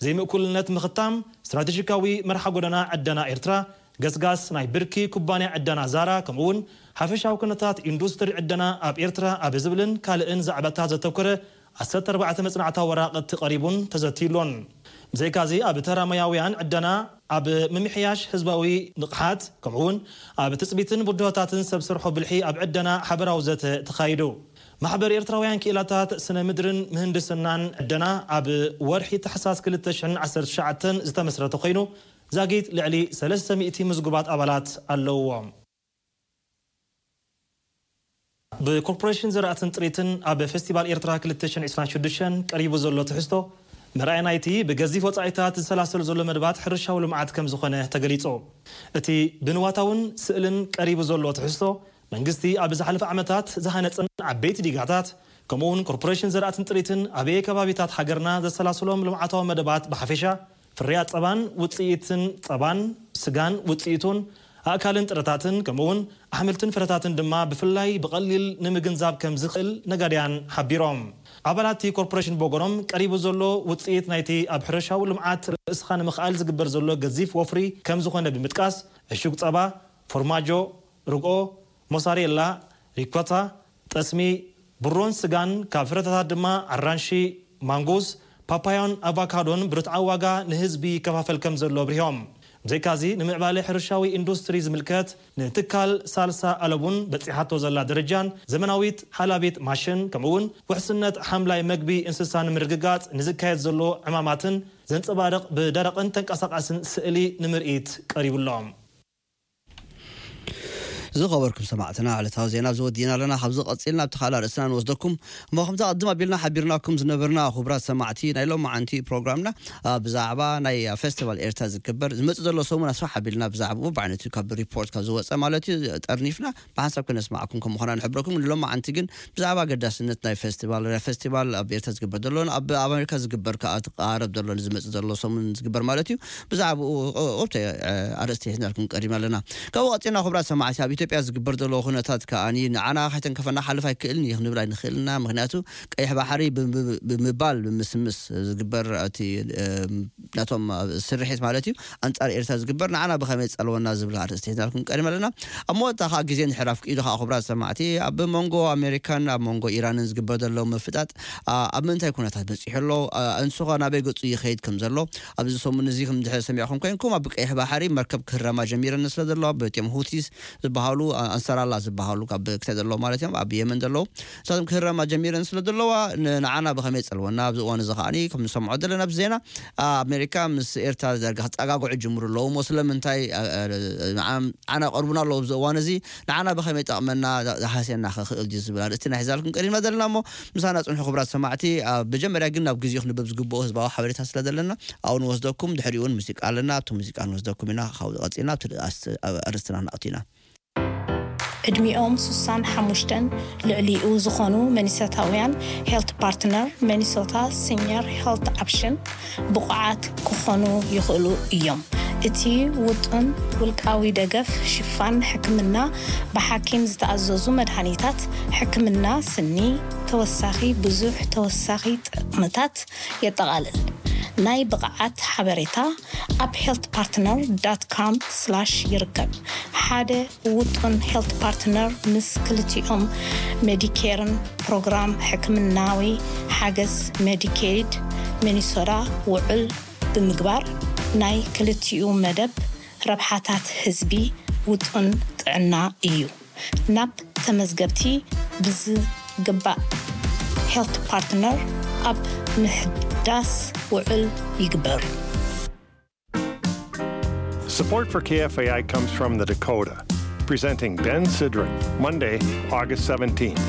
ዘይምእኩልነት ምኽታም፣ ስትራቴጂካዊ መርሓ ጎደና ዕደና ኤርትራ፣ ገስጋስ ናይ ብርኪ ኩባንያ ዕደና ዛራ፣ ከምኡውን ሓፈሻዊ ኩነታት ኢንዱስትሪ ዕደና ኣብ ኤርትራ ኣብ ዝብልን ካልእን ዛዕባታት ዘተኮረ ዓሰርተ ኣርባዕተ መጽናዕታዊ ወራቕቲ ቀሪቡን ተዘትዩሎን። ብዘይካዚ ኣብ ተራ ሞያውያን ዕደና ኣብ ምምሕያሽ ህዝባዊ ንቕሓት፣ ከምኡውን ኣብ ትጽቢትን ብድሆታትን ሰብ ስርሖ ብልሒ ኣብ ዕደና ሓበራዊ ዘተ ተኻይዱ። ማሕበር ኤርትራውያን ክኢላታት ስነ ምድርን ምህንድስናን ዕደና ኣብ ወርሒ ታሕሳስ ክልተ ሽሕን ዓሰርተ ትሽዓተን ዝተመስረተ ኮይኑ፣ ዛጊት ልዕሊ ሰለስተ ሚእቲ ምዝጉባት ኣባላት ኣለውዎ። ብኮርፖሬሽን ዘራእትን ጥሪትን ኣብ ፌስቲቫል ኤርትራ ክልተ ሽሕን ዕስራን ሽዱሽተን ቀሪቡ ዘሎ ትሕዝቶ፣ መርኣያ ናይቲ ብገዚፍ ወጻኢታት ዝሰላሰል ዘሎ መደባት ሕርሻዊ ልምዓት ከም ዝኾነ ተገሊጹ። እቲ ብንዋታውን ስእልን ቀሪቡ ዘሎ ትሕዝቶ፣ መንግስቲ ኣብ ዝሓለፈ ዓመታት ዝሃነጸን ዓበይቲ ዲጋታት፣ ከምኡውን ኮርፖሬሽን ዘራእትን ጥሪትን ኣበየ ከባቢታት ሃገርና ዘሰላስሎም ልምዓታዊ መደባት ብሓፈሻ፣ ፍርያት ጸባን ውጽኢትን ጸባን፣ ስጋን ውጽኢቱን፣ ኣእካልን ጥረታትን፣ ከምኡውን ኣሕምልትን ፍረታትን ድማ ብፍላይ ብቐሊል ንምግንዛብ ከም ዝኽእል ነጋድያን ሓቢሮም። ኣባላት እቲ ኮርፖሬሽን ብወገኖም፣ ቀሪቡ ዘሎ ውጽኢት ናይቲ ኣብ ሕርሻዊ ልምዓት ርእስኻ ንምኽኣል ዝግበር ዘሎ ገዚፍ ወፍሪ ከም ዝኾነ ብምጥቃስ፣ ዕሹግ ጸባ፣ ፎርማጆ፣ ርግኦ፣ ሞሳሬላ፣ ሪኮታ፣ ጠስሚ፣ ብሮን ስጋን፣ ካብ ፍረታት ድማ ኣራንሺ፣ ማንጎስ፣ ፓፓዮን ኣቫካዶን ብርትዓዊ ዋጋ ንህዝቢ ይከፋፈል ከም ዘሎ ኣብሪሆም። ብዘይካዚ፣ ንምዕባለ ሕርሻዊ ኢንዱስትሪ ዝምልከት ንትካል ሳልሳ ኣለቡን በጺሓቶ ዘላ ደረጃን ዘመናዊት ሓላቢት ማሽን፣ ከምኡውን ውሕስነት ሓምላይ መግቢ እንስሳ ንምርግጋጽ ንዝካየድ ዘሎ ዕማማትን ዘንጸባርቕ ብደረቕን ተንቀሳቓስን ስእሊ ንምርኢት ቀሪቡሎም። ዝኸበርኩም ሰማዕትና፣ ዕለታዊ ዜና ኣብዚ ወዲእና ኣለና። ካብዚ ቀጺልና ኣብቲ ካልእ ኣርእስትና ንወስደኩም። እሞ ከምቲ ቅድም ኣቢልና ሓቢርናኩም ዝነበርና፣ ክቡራት ሰማዕቲ፣ ናይ ሎማዓንቲ ፕሮግራምና፣ አ፣ ብዛዕባ ናይ ፌስቲቫል ኤርትራ ዝግበር ዝመጽእ ዘሎ ሰሙን ኣስፋሕ ኣቢልና ብዛዕባኡ ብዓይነቱ ካብ ሪፖርት ካብ ዝወጸ ማለት እዩ፣ ጠርኒፍና ብሓንሳብ ክነስማዓኩም ከም ምዃና ንሕብረኩም። ንሎማዓንቲ ግን ብዛዕባ ኣገዳስነት ናይ ፌስቲቫል፣ ናይ ፌስቲቫል ኣብ ኤርትራ ዝግበር ዘሎ፣ ኣብ ኣሜሪካ ዝግበር ከኣ፣ እቲ ቀረብ ዘሎ፣ ዝመጽእ ዘሎ ሰሙን ዝግበር ማለት እዩ። ብዛዕባኡ፣ ኦ-፣ ኦብተ-፣ እ፣ ኣርእስቲ ሒዝናልኩም ቀሪብና ኣለና። ካብኡ ቀጺልና፣ ክቡራት ሰማዕቲ፣ ኣብ ኢትዮጵያ ዝግበር ዘሎ ኩነታት ከኣኒ ንዓና ከይተንከፈና ክሓልፍ ኣይክእልን እዩ ክንብል ኣይንኽእልና። ምኽንያቱ፣ ቀይሕ ባሕሪ ብ-፣ ብ-፣ ብምባል፣ ብምስምስ ዝግበር እቲ፣ እ፣ ናቶም ስርሒት ማለት እዩ፣ ኣንጻር ኤርትራ ዝግበር ንዓና ብኸመይ ጸልወና ዝብል ኣርእስቲ ሒዝናልኩም ቀሪብና ኣለና። ኣብ መወዳእታ ከኣ ግዜ ንሕራፍ ኢሉ ከኣ፣ ክቡራት ሰማዕቲ፣ ኣብ መንጎ ኣሜሪካን ኣብ መንጎ ኢራንን ዝግበር ዘሎ ምፍጣጥ፣ ኣ-፣ ኣብ ምንታይ ኩነታት በጺሑ ኣሎ? ኣ-፣ እንሱ ኸ ናበይ ገጹ ይኸይድ ከም ዘሎ ኣብዚ ሰሙን እዚ ከም ድሕሪ ሰሚዕኩም ኮይንኩም፣ ኣብ ቀይሕ ባሕሪ መርከብ ክህረማ ጀሚረን ስለ ዘለዋ፣ በቲኦም ሁቲስ ዝበሃሉ፣ ኣ-፣ ኣንሳራላ ዝበሃሉ ካብ ክታይ ዘለዉ ማለት እዮም፣ ኣብ የመን ዘለዉ፣ ንሳቶም ክህረማ ጀሚረን ስለ ዘለዋ፣ ን-፣ ንዓና ብኸመይ ጸልወና? ኣብዚ እዋን እዚ ከኣኒ ከም ንሰምዖ ዘለና ኣብዚ ዜና፣ ኣ-፣ ኣሜሪካ ምስ ኤርትራ ዳርጋ ክጸጋግዑ ጅምሩ ኣለዉ እሞ፣ ስለምንታይ፣ ኣ-፣ ኣ-፣ ንዓ-፣ ንዓና ቀርቡና ኣለዉ ኣብዚ እዋን እዚ፣ ንዓና ብኸመይ ጠቕመና፣ ዳ-፣ ዝሃስየና ክኽእል ድዩ ዝብል ኣርእስቲ ኢና ሒዛልኩም ቀሪብና ዘለና እሞ፣ ምሳና ጽንሑ ክቡራት ሰማዕቲ። ኣብ መጀመርያ ግን ናብ ግዜኡ ክንበብ ዝግብኦ ህዝባዊ ሓበሬታ ስለ ዘለና፣ ኣብኡ ንወስደኩም፣ ድሕሪኡ እውን ሙዚቃ ኣለና፣ ኣብቲ ሙዚቃ ንወስደኩም ኢና። ካብኡ ቀጺልና ኣብቲ ኣስ-፣ ኣብ ኣርእስትና ንኣቱ ኢና። ዕድሚኦም ሱሳን ሓሙሽተን ልዕሊኡ ዝኾኑ መኒሶታውያን፣ ሄልት ፓርትነር መኒሶታ ሲኒየር ሄልት ኦፕሽን ብቑዓት ክኾኑ ይኽእሉ እዮም። እቲ ውጡን ውልቃዊ ደገፍ ሽፋን ሕክምና፣ ብሓኪም ዝተኣዘዙ መድሃኒታት፣ ሕክምና ስኒ፣ ተወሳኺ ብዙሕ ተወሳኺ ጥቕምታት የጠቓልል። ናይ ብቕዓት ሓበሬታ ኣብ ሄልት ፓርትነር ዳት ካም ስላሽ ይርከብ። ሓደ ውጡን ሄልት ፓርትነር ምስ ክልቲኦም ሜዲኬርን ፕሮግራም ሕክምናዊ ሓገዝ ሜዲኬድ ሚኒሶታ ውዕል ብምግባር፣ ናይ ክልቲኡ መደብ ረብሓታት ህዝቢ ውጡን ጥዕና እዩ። ናብ ተመዝገብቲ ብዝግባእ ሄልት ፓርትነር ኣብ ምሕዳስ ውዕል ይግበር። Support for K F A I comes from the Dakota, presenting Ben Sidran, Monday, August seventeenth.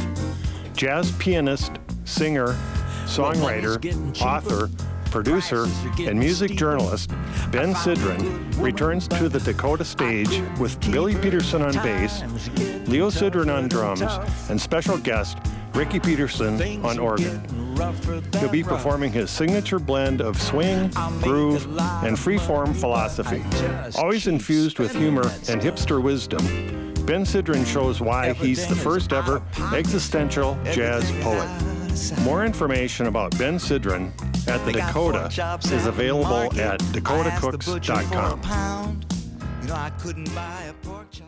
Jazz pianist, singer, songwriter, author, producer, and music journalist Ben Sidran returns to the Dakota stage with Billy Peterson on bass, Leo Sidran on drums, and special guest Ricky Peterson on organ. He'll be performing his signature blend of swing, groove, and freeform philosophy, always infused with humor and hipster wisdom. Ben Sidran shows why he's the first ever existential jazz poet. More information about Ben Sidran at the Dakota is available at dakota cooks dot com. No, I couldn't buy a pork chop.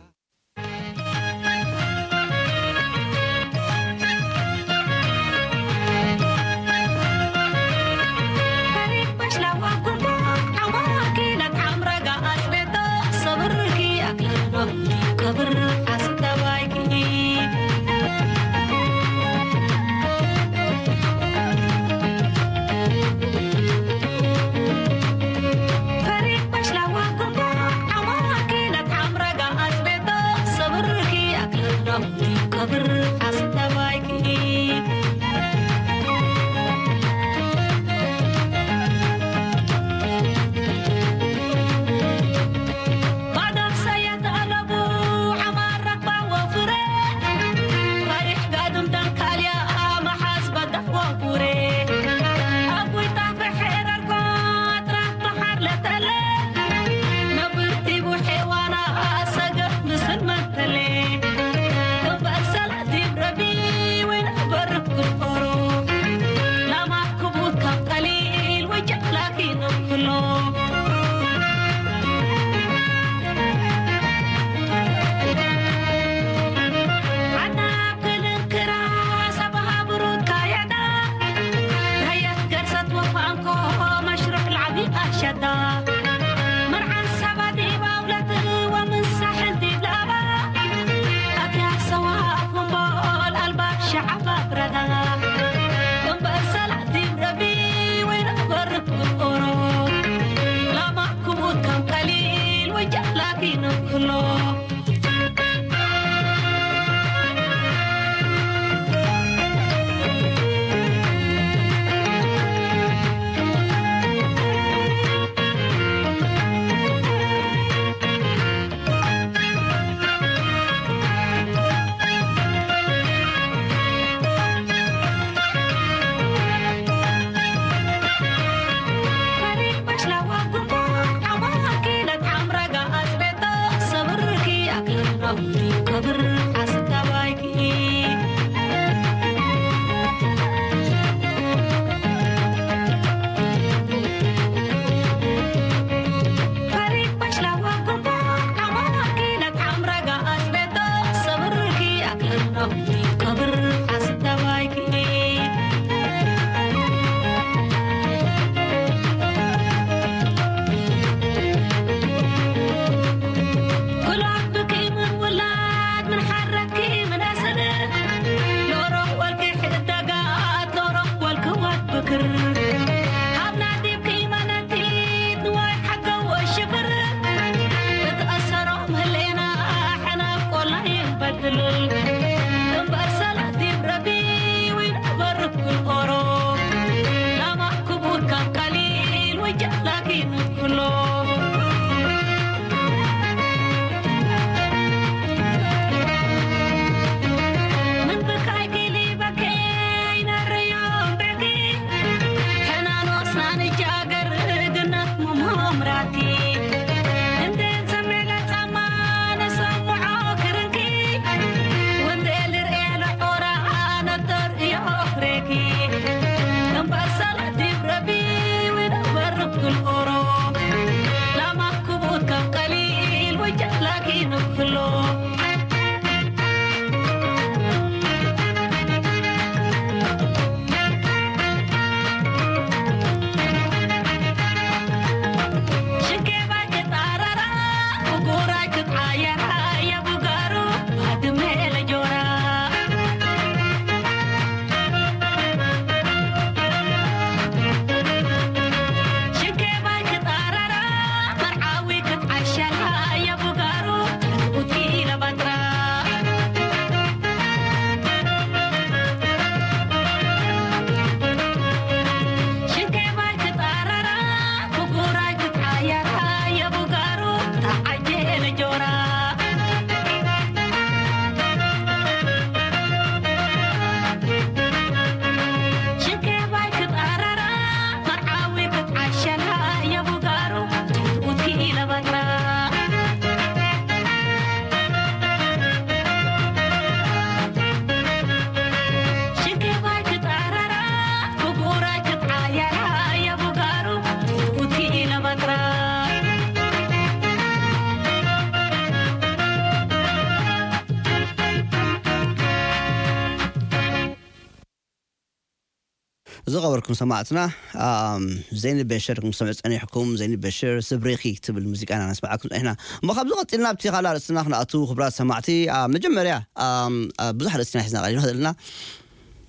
ዝኸበርኩም ሰማዕትና፣ ኣም፣ ዘይኒ በሽር ምስ ሰምዑ ጸኒሕኩም፣ ዘይኒ በሽር ስብሪኺ ትብል ሙዚቃ ኢና ነስምዓኩም ጸኒሕና። እሞ ካብዚ ቀጺልና ኣብቲ ካልእ ኣርእስትና ክንኣቱ፣ ክቡራት ሰማዕቲ፣ ኣ፣ መጀመርያ፣ ኣም፣ ኣ፣ ብዙሕ ኣርእስትና ሒዝና ቀሪብና ዘለና።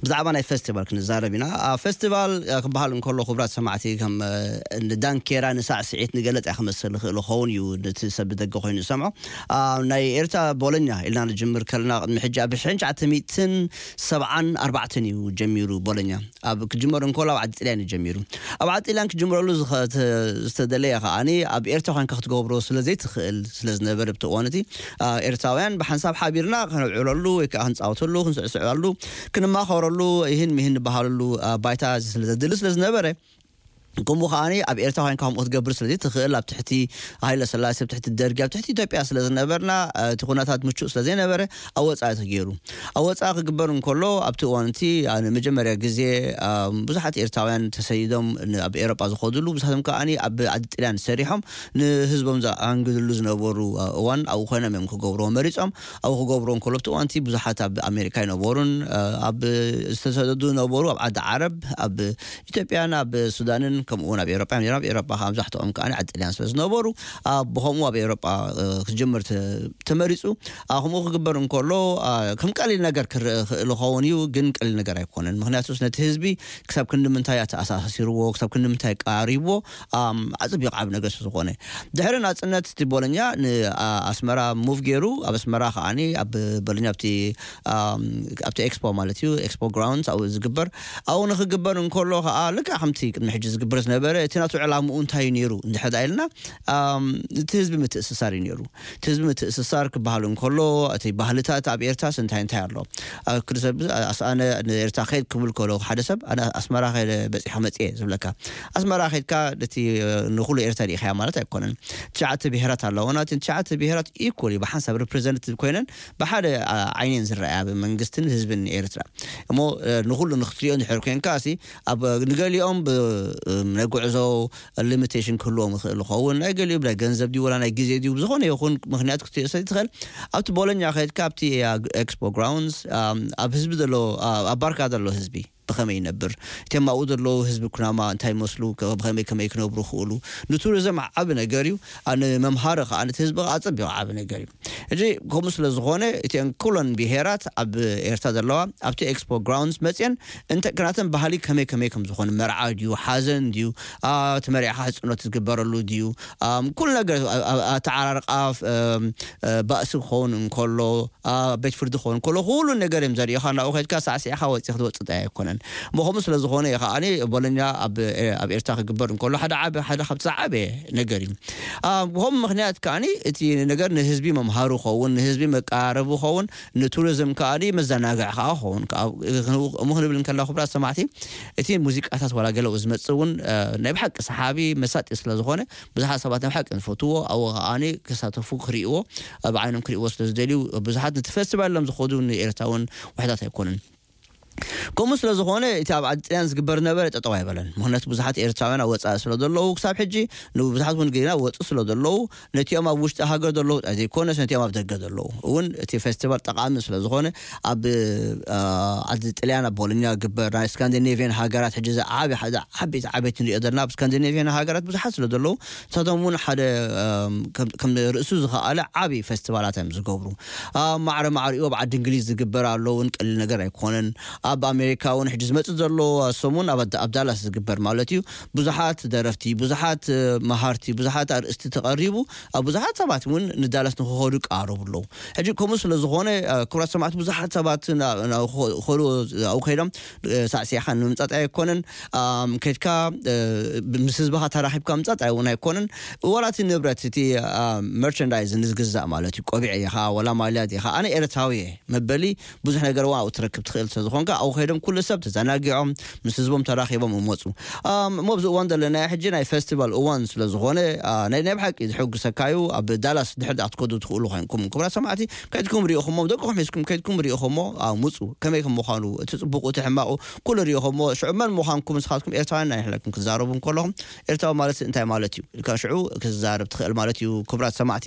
ብዛዕባ ናይ ፈስቲቫል ክንዛረብ ኢና። ኣ፣ ፈስቲቫል፣ ኣ፣ ክበሃል እንከሎ፣ ክቡራት ሰማዕቲ፣ ከም፣ እ፣ ንዳንኬራ፣ ንሳዕስዒት፣ ንገለጽ እያ ክመስል ይኽእል ይኸውን እዩ፣ ነቲ ሰብ ብደገ ኮይኑ ዝሰምዖ። ኣ፣ ናይ ኤርትራ ቦሎኛ ኢልና ንጅምር ከለና፣ ቅድሚ ሕጂ ኣብ ሽሕን ትሽዓተ ሚእትን ሰብዓን ኣርባዕተን እዩ ጀሚሩ ቦሎኛ። ኣብ ክጅመር እንከሎ ኣብ ዓዲ ጥልያን እዩ ጀሚሩ። ኣብ ዓዲ ጥልያን ክጅምረሉ ዝኸ-፣ ተ-፣ ዝተደለየ ከኣኒ ኣብ ኤርትራ ኮንካ ክትገብሮ ስለ ዘይትኽእል ስለ ዝነበረ ብቲ እዋን እቲ፣ ኣ፣ ኤርትራውያን ብሓንሳብ ሓቢርና ከነብዕለሉ ወይ ከኣ ክንጻወተሉ፣ ክንስዕስዐሉ፣ ክንማኸረሉ፣ ይህን ሚህን ንበሃለሉ፣ ኣ፣ ባይታ ስለ ዘድሊ ስለ ዝነበረ፣ ከምኡ ከኣኒ ኣብ ኤርትራ ኮንካ ከምኡ ክትገብር ስለ ዘይትኽእል ኣብ ትሕቲ ሃይለ ሰላሴ፣ ኣብ ትሕቲ ደርጊ፣ ኣብ ትሕቲ ኢትዮጵያ ስለ ዝነበርና፣ እ፣ እቲ ኩነታት ምቹእ ስለ ዘይነበረ ኣብ ወጻኢ ተገይሩ። ኣብ ወጻኢ ክግበር እንከሎ ኣብቲ እዋን እቲ፣ ኣ፣ ንመጀመርያ ግዜ፣ ኣ፣ ብዙሓት ኤርትራውያን ተሰይዶም ን-፣ ኣብ ኤውሮጳ ዝኸድሉ፣ ብዙሓቶም ከኣኒ ኣብ ዓዲ ጥልያን ሰሪሖም ንህዝቦም ዘኣንግድሉ ዝነበሩ፣ ኣ፣ እዋን ኣብኡ ኮይኖም እዮም ክገብርዎ መሪጾም። ኣብኡ ክገብርዎ እንከሎ ኣብቲ እዋን እቲ ብዙሓት ኣብ ኣሜሪካ ይነበሩን፣ ኣ፣ ኣብ ዝተሰደዱ ነበሩ፣ ኣብ ዓዲ ዓረብ፣ ኣብ ኢትዮጵያን ኣብ ሱዳንን ከምኡ እውን ኣብ ኤውሮጳ እዮም ነይሮም። ኣብ ኤውሮጳ ከዓ መብዛሕትኦም ከዓ ዓዲ ጥልያን ስለ ዝነበሩ፣ ኣ፣ ብኸምኡ ኣብ ኤውሮጳ፣ እ፣ ክጅምር ተ-፣ ተመሪጹ። ኣ፣ ከምኡ ክግበር እንከሎ፣ ኣ፣ ከም ቀሊል ነገር ክረአ ይኽእል ይኸውን እዩ፣ ግን ቀሊል ነገር ኣይኮነን። ምኽንያቱስ ነቲ ህዝቢ ክሳብ ክንዲ ምንታይ ኣተኣሳሲርዎ፣ ክሳብ ክንዲ ምንታይ ቀራሪብዎ፣ ኣም፣ ኣጸቢቑ ዓቢ ነገር ስለ ዝኾነ። ድሕሪ ናጽነት እቲ ቦሎኛ ን-፣ ኣ-፣ ኣስመራ ሙቭ ገይሩ፣ ኣብ ኣስመራ ከዓኒ ኣብ ቦሎኛ ኣብቲ፣ ኣም፣ ኣብቲ ኤክስፖ ማለት እዩ፣ ኤክስፖ ግራውንድስ ኣብኡ ዝግበር፣ ኣብኡ ንኽግበር እንከሎ ከኣ ልክዕ ከምቲ ቅድሚ ሕጂ ዝግበር ዝነበረ፣ እቲ ናቱ ዕላምኡ እንታይ እዩ ነይሩ እንድሕር ደኣ ኢልና፣ ኣም፣ እቲ ህዝቢ ምትእስሳር እዩ ነይሩ። እቲ ህዝቢ ምትእስሳር ክበሃል እንከሎ፣ እቲ ባህልታት ኣብ ኤርትራስ እንታይ እንታይ ኣሎ? ኣብ ክዲ ሰብ ኣስ-፣ ኣነ ንኤርትራ ከይድ ክብል ከሎ ሓደ ሰብ፣ ኣነ ኣስመራ ከይደ በጺሐ መጽየ ዝብለካ። ኣስመራ ከይድካ ነቲ፣ ንኹሉ ኤርትራ ርኢኻያ ማለት ኣይኮነን። ትሽዓተ ብሄራት ኣለዉና። እተን ትሽዓተ ብሄራት ኢኮሊ ብሓንሳብ ሪፕሬዘንትቲቭ ኮይነን ብሓደ፣ ኣ፣ ዓይነን ዝረኣያ ብመንግስትን ህዝብን ኤርትራ። እሞ፣ እ፣ ንኹሉ ንክትሪኦ እንድሕር ኮይንካ፣ እሲ ኣብ ንገሊኦም ብ-፣ እ፣ ናይ ጉዕዞ ሊሚቴሽን ክህልዎም ይኽእል ይኸውን። ናይ ገሊኡ ብናይ ገንዘብ ድዩ ወላ ናይ ግዜ ድዩ ብዝኾነ ይኹን ምኽንያት ክትሪኦ ስለ ትኽእል፣ ኣብቲ ቦሎኛ ከይድካ ኣብቲ፣ ኣ፣ ኤክስፖ ግራውንድስ፣ ኣ፣ ኣብ ህዝቢ ዘሎ፣ ኣ፣ ኣብ ባርካ ዘሎ ህዝቢ ብኸመይ ይነብር? እቶም ኣብኡ ዘለዉ ህዝቢ ኩናማ እንታይ ይመስሉ? ከ-፣ ብኸመይ ከመይ ክነብሩ ይኽእሉ? ንቱሪዝም ዓቢ ነገር እዩ። ኣ፣ ንመምሃሪ ከኣ ነቲ ህዝቢ ከኣ ኣጸቢቑ ዓቢ ነገር እዩ። ሕጂ ከምኡ ስለ ዝኾነ እተን ኩለን ብሄራት ኣብ ኤርትራ ዘለዋ ኣብቲ ኤክስፖ ግራውንድስ መጽየን እንተ ክናተን ባህሊ ከመይ ከመይ ከም ዝኾነ፣ መርዓ ድዩ፣ ሓዘን ድዩ፣ ኣ፣ እቲ መርዓኻ ሕጽኖት ዝግበረሉ ድዩ፣ ኣም፣ ኩሉ ነገር፣ ኣ-፣ ኣ-፣ ኣተዓራርቃ፣ እም፣ እ፣ ባእሲ ክኸውን እንከሎ፣ ኣብ ቤት ፍርዲ ክኸውን ከሎ፣ ኩሉ ነገር እዮም ዘርእዩኻ። ናብኡ ከድካ ሳዕሲዕኻ ወጺእ ክትወጽእ ጥራይ ኣይኮነን። እሞ ከምኡ ስለ ዝኾነ እዩ ከዓኒ ቦሎኛ ኣብ፣ ኣብ ኤርትራ ክግበር እንከሎ፣ ሓደ ዓቢ፣ ሓደ ካብቲ ዝዓበየ ነገር እዩ። ኣ፣ ብኸምኡ ምኽንያት ከዓኒ እቲ ነገር ንህዝቢ መምሃሪ ክኸውን፣ ንህዝቢ መቀራረቢ ክኸውን፣ ንቱሪዝም ከዓኒ መዘናግዒ ከኣ ክኸውን። ከኣ፣ እሞ ክንብል እንከለና፣ ክቡራት ሰማዕቲ፣ እቲ ሙዚቃታት ዋላ ገለ ዝመጽእ እውን፣ እ፣ ናይ ብሓቂ ሰሓቢ መሳጢ ስለ ዝኾነ፣ ብዙሓት ሰባት ናይ ብሓቂ ዝፈትዎ፣ ኣብኡ ከዓኒ ክሳተፉ፣ ክርእይዎ፣ ኣብ ዓይኖም ክርእይዎ ስለ ዝደልዩ፣ ብዙሓት ነቲ ፈስቲቫል ኢሎም ዝኸዱ ንኤርትራውን ውሕዳት ኣይኮኑን። ከምኡ ስለ ዝኾነ፣ እቲ ኣብ ዓዲ ጥልያን ዝግበር ዝነበረ ጠጠው ኣይበለን። ምኽንያቱ ብዙሓት ኤርትራውያን ኣብ ወጻኢ ስለ ዘለዉ፣ ክሳብ ሕጂ ንብዙሓት እውን ገና ወጹ ስለ ዘለዉ፣ ነቲኦም ኣብ ውሽጢ ሃገር ዘለዉ ጥራይ ዘይኮነስ፣ ነቲኦም ኣብ ደገ ዘለዉ እውን እቲ ፈስቲቫል ጠቓሚ ስለ ዝኾነ፣ ኣብ፣ ኣ፣ ዓዲ ጥልያን ኣብ ቦሎኛ ዝግበር፣ ናይ ስካንዲኔቭያን ሃገራት ሕጂ ዝዓቢ-፣ ሓደ ዓበይቲ ዓበይቲ ንሪኦ ዘለና፣ ኣብ ስካንዲኔቭያን ሃገራት ብዙሓት ስለ ዘለዉ፣ ንሳቶም እውን ሓደ፣ ኣም፣ ከም፣ ከም ርእሱ ዝኸኣለ ዓቢ ፈስቲቫላት እዮም ዝገብሩ። ኣብ ማዕረ ማዕሪኡ ኣብ ዓዲ እንግሊዝ ዝግበር ኣሎ እውን ቀሊል ነገር ኣይኮነን። ኣብ ኣሜሪካ እውን ሕጂ ዝመጽእ ዘሎ ሰሙን ኣብ ኣዳ-፣ ኣብ ዳላስ ዝግበር ማለት እዩ። ብዙሓት ደረፍቲ፣ ብዙሓት፣ እ፣ መሃርቲ፣ ብዙሓት ኣርእስቲ ተቐሪቡ፣ ኣብ ብዙሓት ሰባት እውን ንዳላስ ንክኸዱ ይቃረቡ ኣለዉ። ሕጂ ከምኡ ስለ ዝኾነ፣ እ፣ ክቡራት ሰማዕቲ፣ ብዙሓት ሰባት ና-፣ ና-፣ ክኸ-፣ ክኸዱ ኣብኡ ከይዶም፣ እ፣ ሳዕሲዕኻ ንምምጻእ ኣይኮነን። ኣም፣ ከድካ፣ እ፣ ምስ ህዝብኻ ተራኺብካ ምምጻእ እውን ኣይኮነን። ዋላ እቲ ንብረት፣ እቲ፣ ኣ፣ መርቸንዳይዝ ንዝግዛእ ማለት እዩ። ቆቢዕ ኢኻ፣ ዋላ ማልያ ኢኻ፣ ኣነ ኤርትራዊ እየ መበሊ ብዙሕ ነገር እውን ኣብኡ ትረክብ ትኽእል ስለ ዝኾንካ፣ ኣብኡ ከይዶም ኩሉ ሰብ ተዘናጊዖም፣ ምስ ህዝቦም ተራኺቦም ይመጹ። ኣም፣ እሞ ኣብዚ እዋን ዘለናዮ ሕጂ ናይ ፈስቲቫል እዋን ስለ ዝኾነ፣ ኣ፣ ናይ፣ ናይ ብሓቂ ዝሕጉሰካ እዩ። ኣብ ዳላስ ድሕር ደኣ ክትከዱ ትኽእሉ ኮይንኩም፣ ክቡራት ሰማዕቲ፣ ከድኩም ርኢኹሞ፣ ደቅኹም ሒዝኩም ከድኩም ርኢኹሞ፣ ኣ፣ ምጹ። ከመይ ከም ምዃኑ፣ እቲ ጽቡቑ፣ እቲ ሕማቑ፣ ኩሉ ርኢኹሞ፣ ሽዑ መን ምዃንኩም ንስኻትኩም ኤርትራውያን ናይ ሕለኩም ክትዛረቡ እንከለኹም፣ ኤርትራዊ ማለት እንታይ ማለት እዩ ኢልካ ሽዑ ክትዛረብ ትኽእል ማለት እዩ፣ ክቡራት ሰማዕቲ።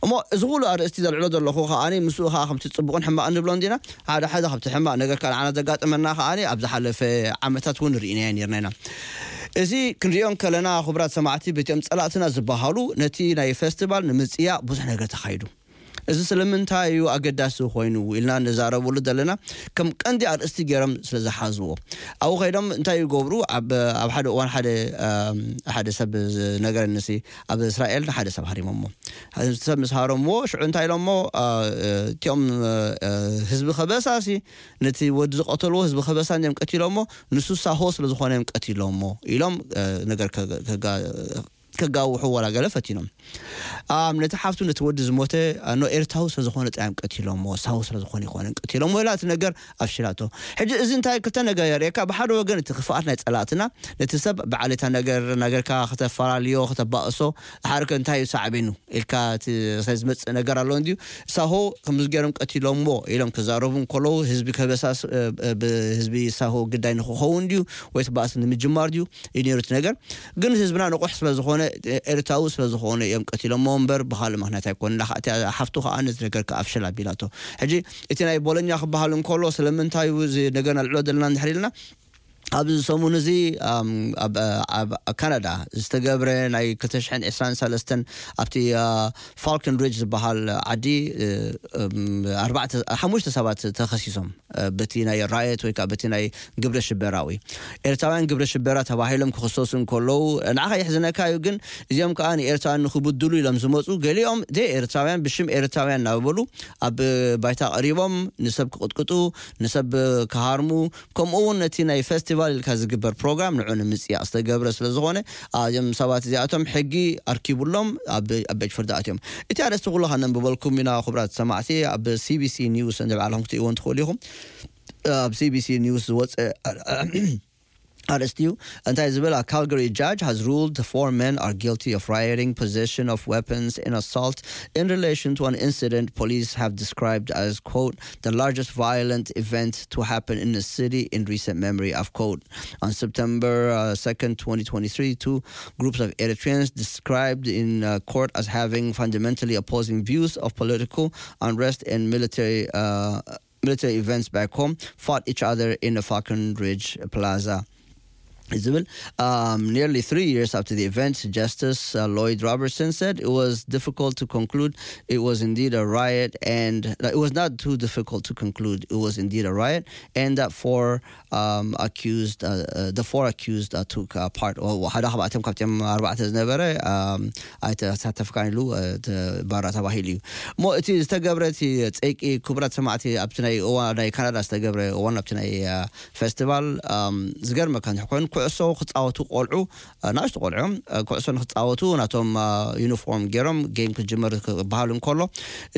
እሞ እዚ ኩሉ ኣርእስቲ ዘልዕሎ ዘለኹ ከኣ፣ ምስኡ ከኣ ከምቲ ጽቡቕን ሕማቕን ንብሎ እንዲና፣ ሓደ ሓደ ካብቲ ሕማቕ ነገር ከኣ ንዓና ዘጋጠመና ከኣ ኣብ ዝሓለፈ ዓመታት እውን ርኢናዮ ነርና ኢና። እዚ ክንሪኦ ከለና፣ ክቡራት ሰማዕቲ፣ በቲኦም ጸላእትና ዝበሃሉ ነቲ ናይ ፈስቲቫል ንምጽያ ብዙሕ ነገር ተኻይዱ። እዚ ስለምንታይ እዩ ኣገዳሲ ኮይኑ ኢልና ንዛረበሉ ዘለና፣ ከም ቀንዲ ኣርእስቲ ገይሮም ስለ ዝሓዝዎ። ኣብኡ ከይዶም እንታይ ይገብሩ? ኣብ ኣብ ሓደ እዋን ሓደ ኣም፣ ሓደ ሰብ ዝነገረኒ ሲ፣ ኣብ እስራኤል ንሓደ ሰብ ሃሪሞሞ። ሰብ ምስ ሃረምዎ፣ ሽዑ እንታይ ኢሎሞ? አ፣ እቲኦም አ፣ ህዝቢ ከበሳሲ፣ ነቲ ወዲ ዝቐተልዎ ህዝቢ ከበሳ እንዲኦም ቀቲሎሞ፣ ንሱ ሳሆ ስለ ዝኾነ እዮም ቀቲሎሞ ኢሎም አ፣ ነገር ከ- ከጋ- ከጋውሑ ወላ ገለ ፈቲኖም። ኣም፣ ነቲ ሓፍቱ ነቲ ወዲ ዝሞተ ኖ ኤርትራዊ ስለ ዝኾነ ጥራይ እዮም ቀቲሎሞ፣ ሳሆ ስለ ዝኾነ ይኮነን ቀቲሎሞ ኢላ እቲ ነገር ኣፍሽላቶ። ሕጂ እዚ እንታይ ክልተ ነገር የርእየካ? ብሓደ ወገን እቲ ክፍኣት ናይ ጸላእትና፣ ነቲ ሰብ ብዓሌታ ነገር ናገርካ ከተፈላልዮ፣ ከተባእሶ፣ ድሓር ከ እንታይ እዩ ሳዕቤኑ ኢልካ እቲ ዝመጽእ ነገር ኣሎ እንድዩ። ሳሆ ከምዚ ገይሮም ቀቲሎሞ ኢሎም ክዛረቡ እንከለዉ፣ ህዝቢ ከበሳስ ብህዝቢ ሳሆ ግዳይ ንክኸውን ድዩ ወይስ ባእሲ ንምጅማር ድዩ እዩ ነይሩ እቲ ነገር። ግን ህዝብና ንቑሕ ስለ ዝኾነ፣ ኤርትራዊ ስለ ዝኾነ እዮም ቀቲሎሞ እምበር ብኻልእ ምኽንያት ኣይኮነን። ሓፍቱ ከዓ ነዚ ነገር ከኣፍሽል ኣቢላቶ። ሕጂ እቲ ናይ ቦሎኛ ክበሃል እንከሎ ስለምንታይ እዩ እዚ ነገር ነልዕሎ ዘለና እንድሕር ኢልና፣ ኣብዚ ሰሙን እዚ ኣብ ካናዳ ዝተገብረ ናይ ክልተ ሽሕን ዕስራን ሰለስተን ኣብቲ ፋልከን ሪጅ ዝበሃል ዓዲ ሓሙሽተ ሰባት ተኸሲሶም በቲ ናይ ራየት ወይ ከዓ በቲ ናይ ግብረ ሽበራዊ ኤርትራውያን ግብረ ሽበራ ተባሂሎም ክኽሰሱ እንከለዉ፣ ንዓኻ የሕዝነካ እዩ። ግን እዚኦም ከዓ ንኤርትራውያን ንክብድሉ ኢሎም ዝመፁ፣ ገሊኦም ኤርትራውያን ብሽም ኤርትራውያን እናበሉ ኣብ ባይታ ቀሪቦም ንሰብ ክቕጥቅጡ፣ ንሰብ ክሃርሙ፣ ከምኡ እውን ነቲ ናይ ፈስቲቫል ኢልካ ዝግበር ፕሮግራም ንዑ ንምፅያቕ ዝተገብረ ስለ ዝኾነ፣ እዞም ሰባት እዚኣቶም ሕጊ ኣርኪቡሎም ኣብ ቤት ፍርዲ ኣትዮም። እቲ ኣርእስቲ ኩሉ ከነንብበልኩም ኢና። ክቡራት ሰማዕቲ፣ ኣብ ሲቢሲ ኒውስ እንደ ባዕልኹም ክትእይዎ እንትኽእሉ ኢኹም። ኣብ ሲቢሲ ኒውስ ዝወፀ ኣርእስቲ እዩ። እንታይ ዝብል? A Calgary judge has ruled the four men are guilty of rioting, possession of weapons, and assault in relation to an incident police have described as, quote, the largest violent event to happen in the city in recent memory, of quote. On September uh, second, twenty twenty-three, two groups of Eritreans described in uh, court as having fundamentally opposing views of political unrest and military uh, military events back home fought each other in the Falcon Ridge Plaza. Isabel, um, nearly three years after the event, Justice uh, Lloyd Robertson said it was difficult to conclude it was indeed a riot, and uh, it was not too difficult to conclude it was indeed a riot, and that four um, accused, uh, uh, the four accused uh, took uh, part. Or ሓደ ካብኣቶም ካብቶም ኣርባዕተ ዝነበረ ኣይተሳተፍካን ኢሉ ባራ ተባሂሉ እዩ። እሞ እቲ ዝተገብረ እቲ ፀይቂ፣ ክቡራት ሰማዕቲ፣ ኣብቲ ናይ እዋ ናይ ካናዳ ዝተገብረ እዋን ኣብቲ ናይ ፈስቲቫል ዝገርመካ እንተ ኮይኑ፣ ኩዕሶ ክፃወቱ ቆልዑ፣ ናሽቱ ቆልዑ እዮም። ኩዕሶ ንክፃወቱ ናቶም ዩኒፎርም ገይሮም ጌም ክጅመር ክበሃል እንከሎ፣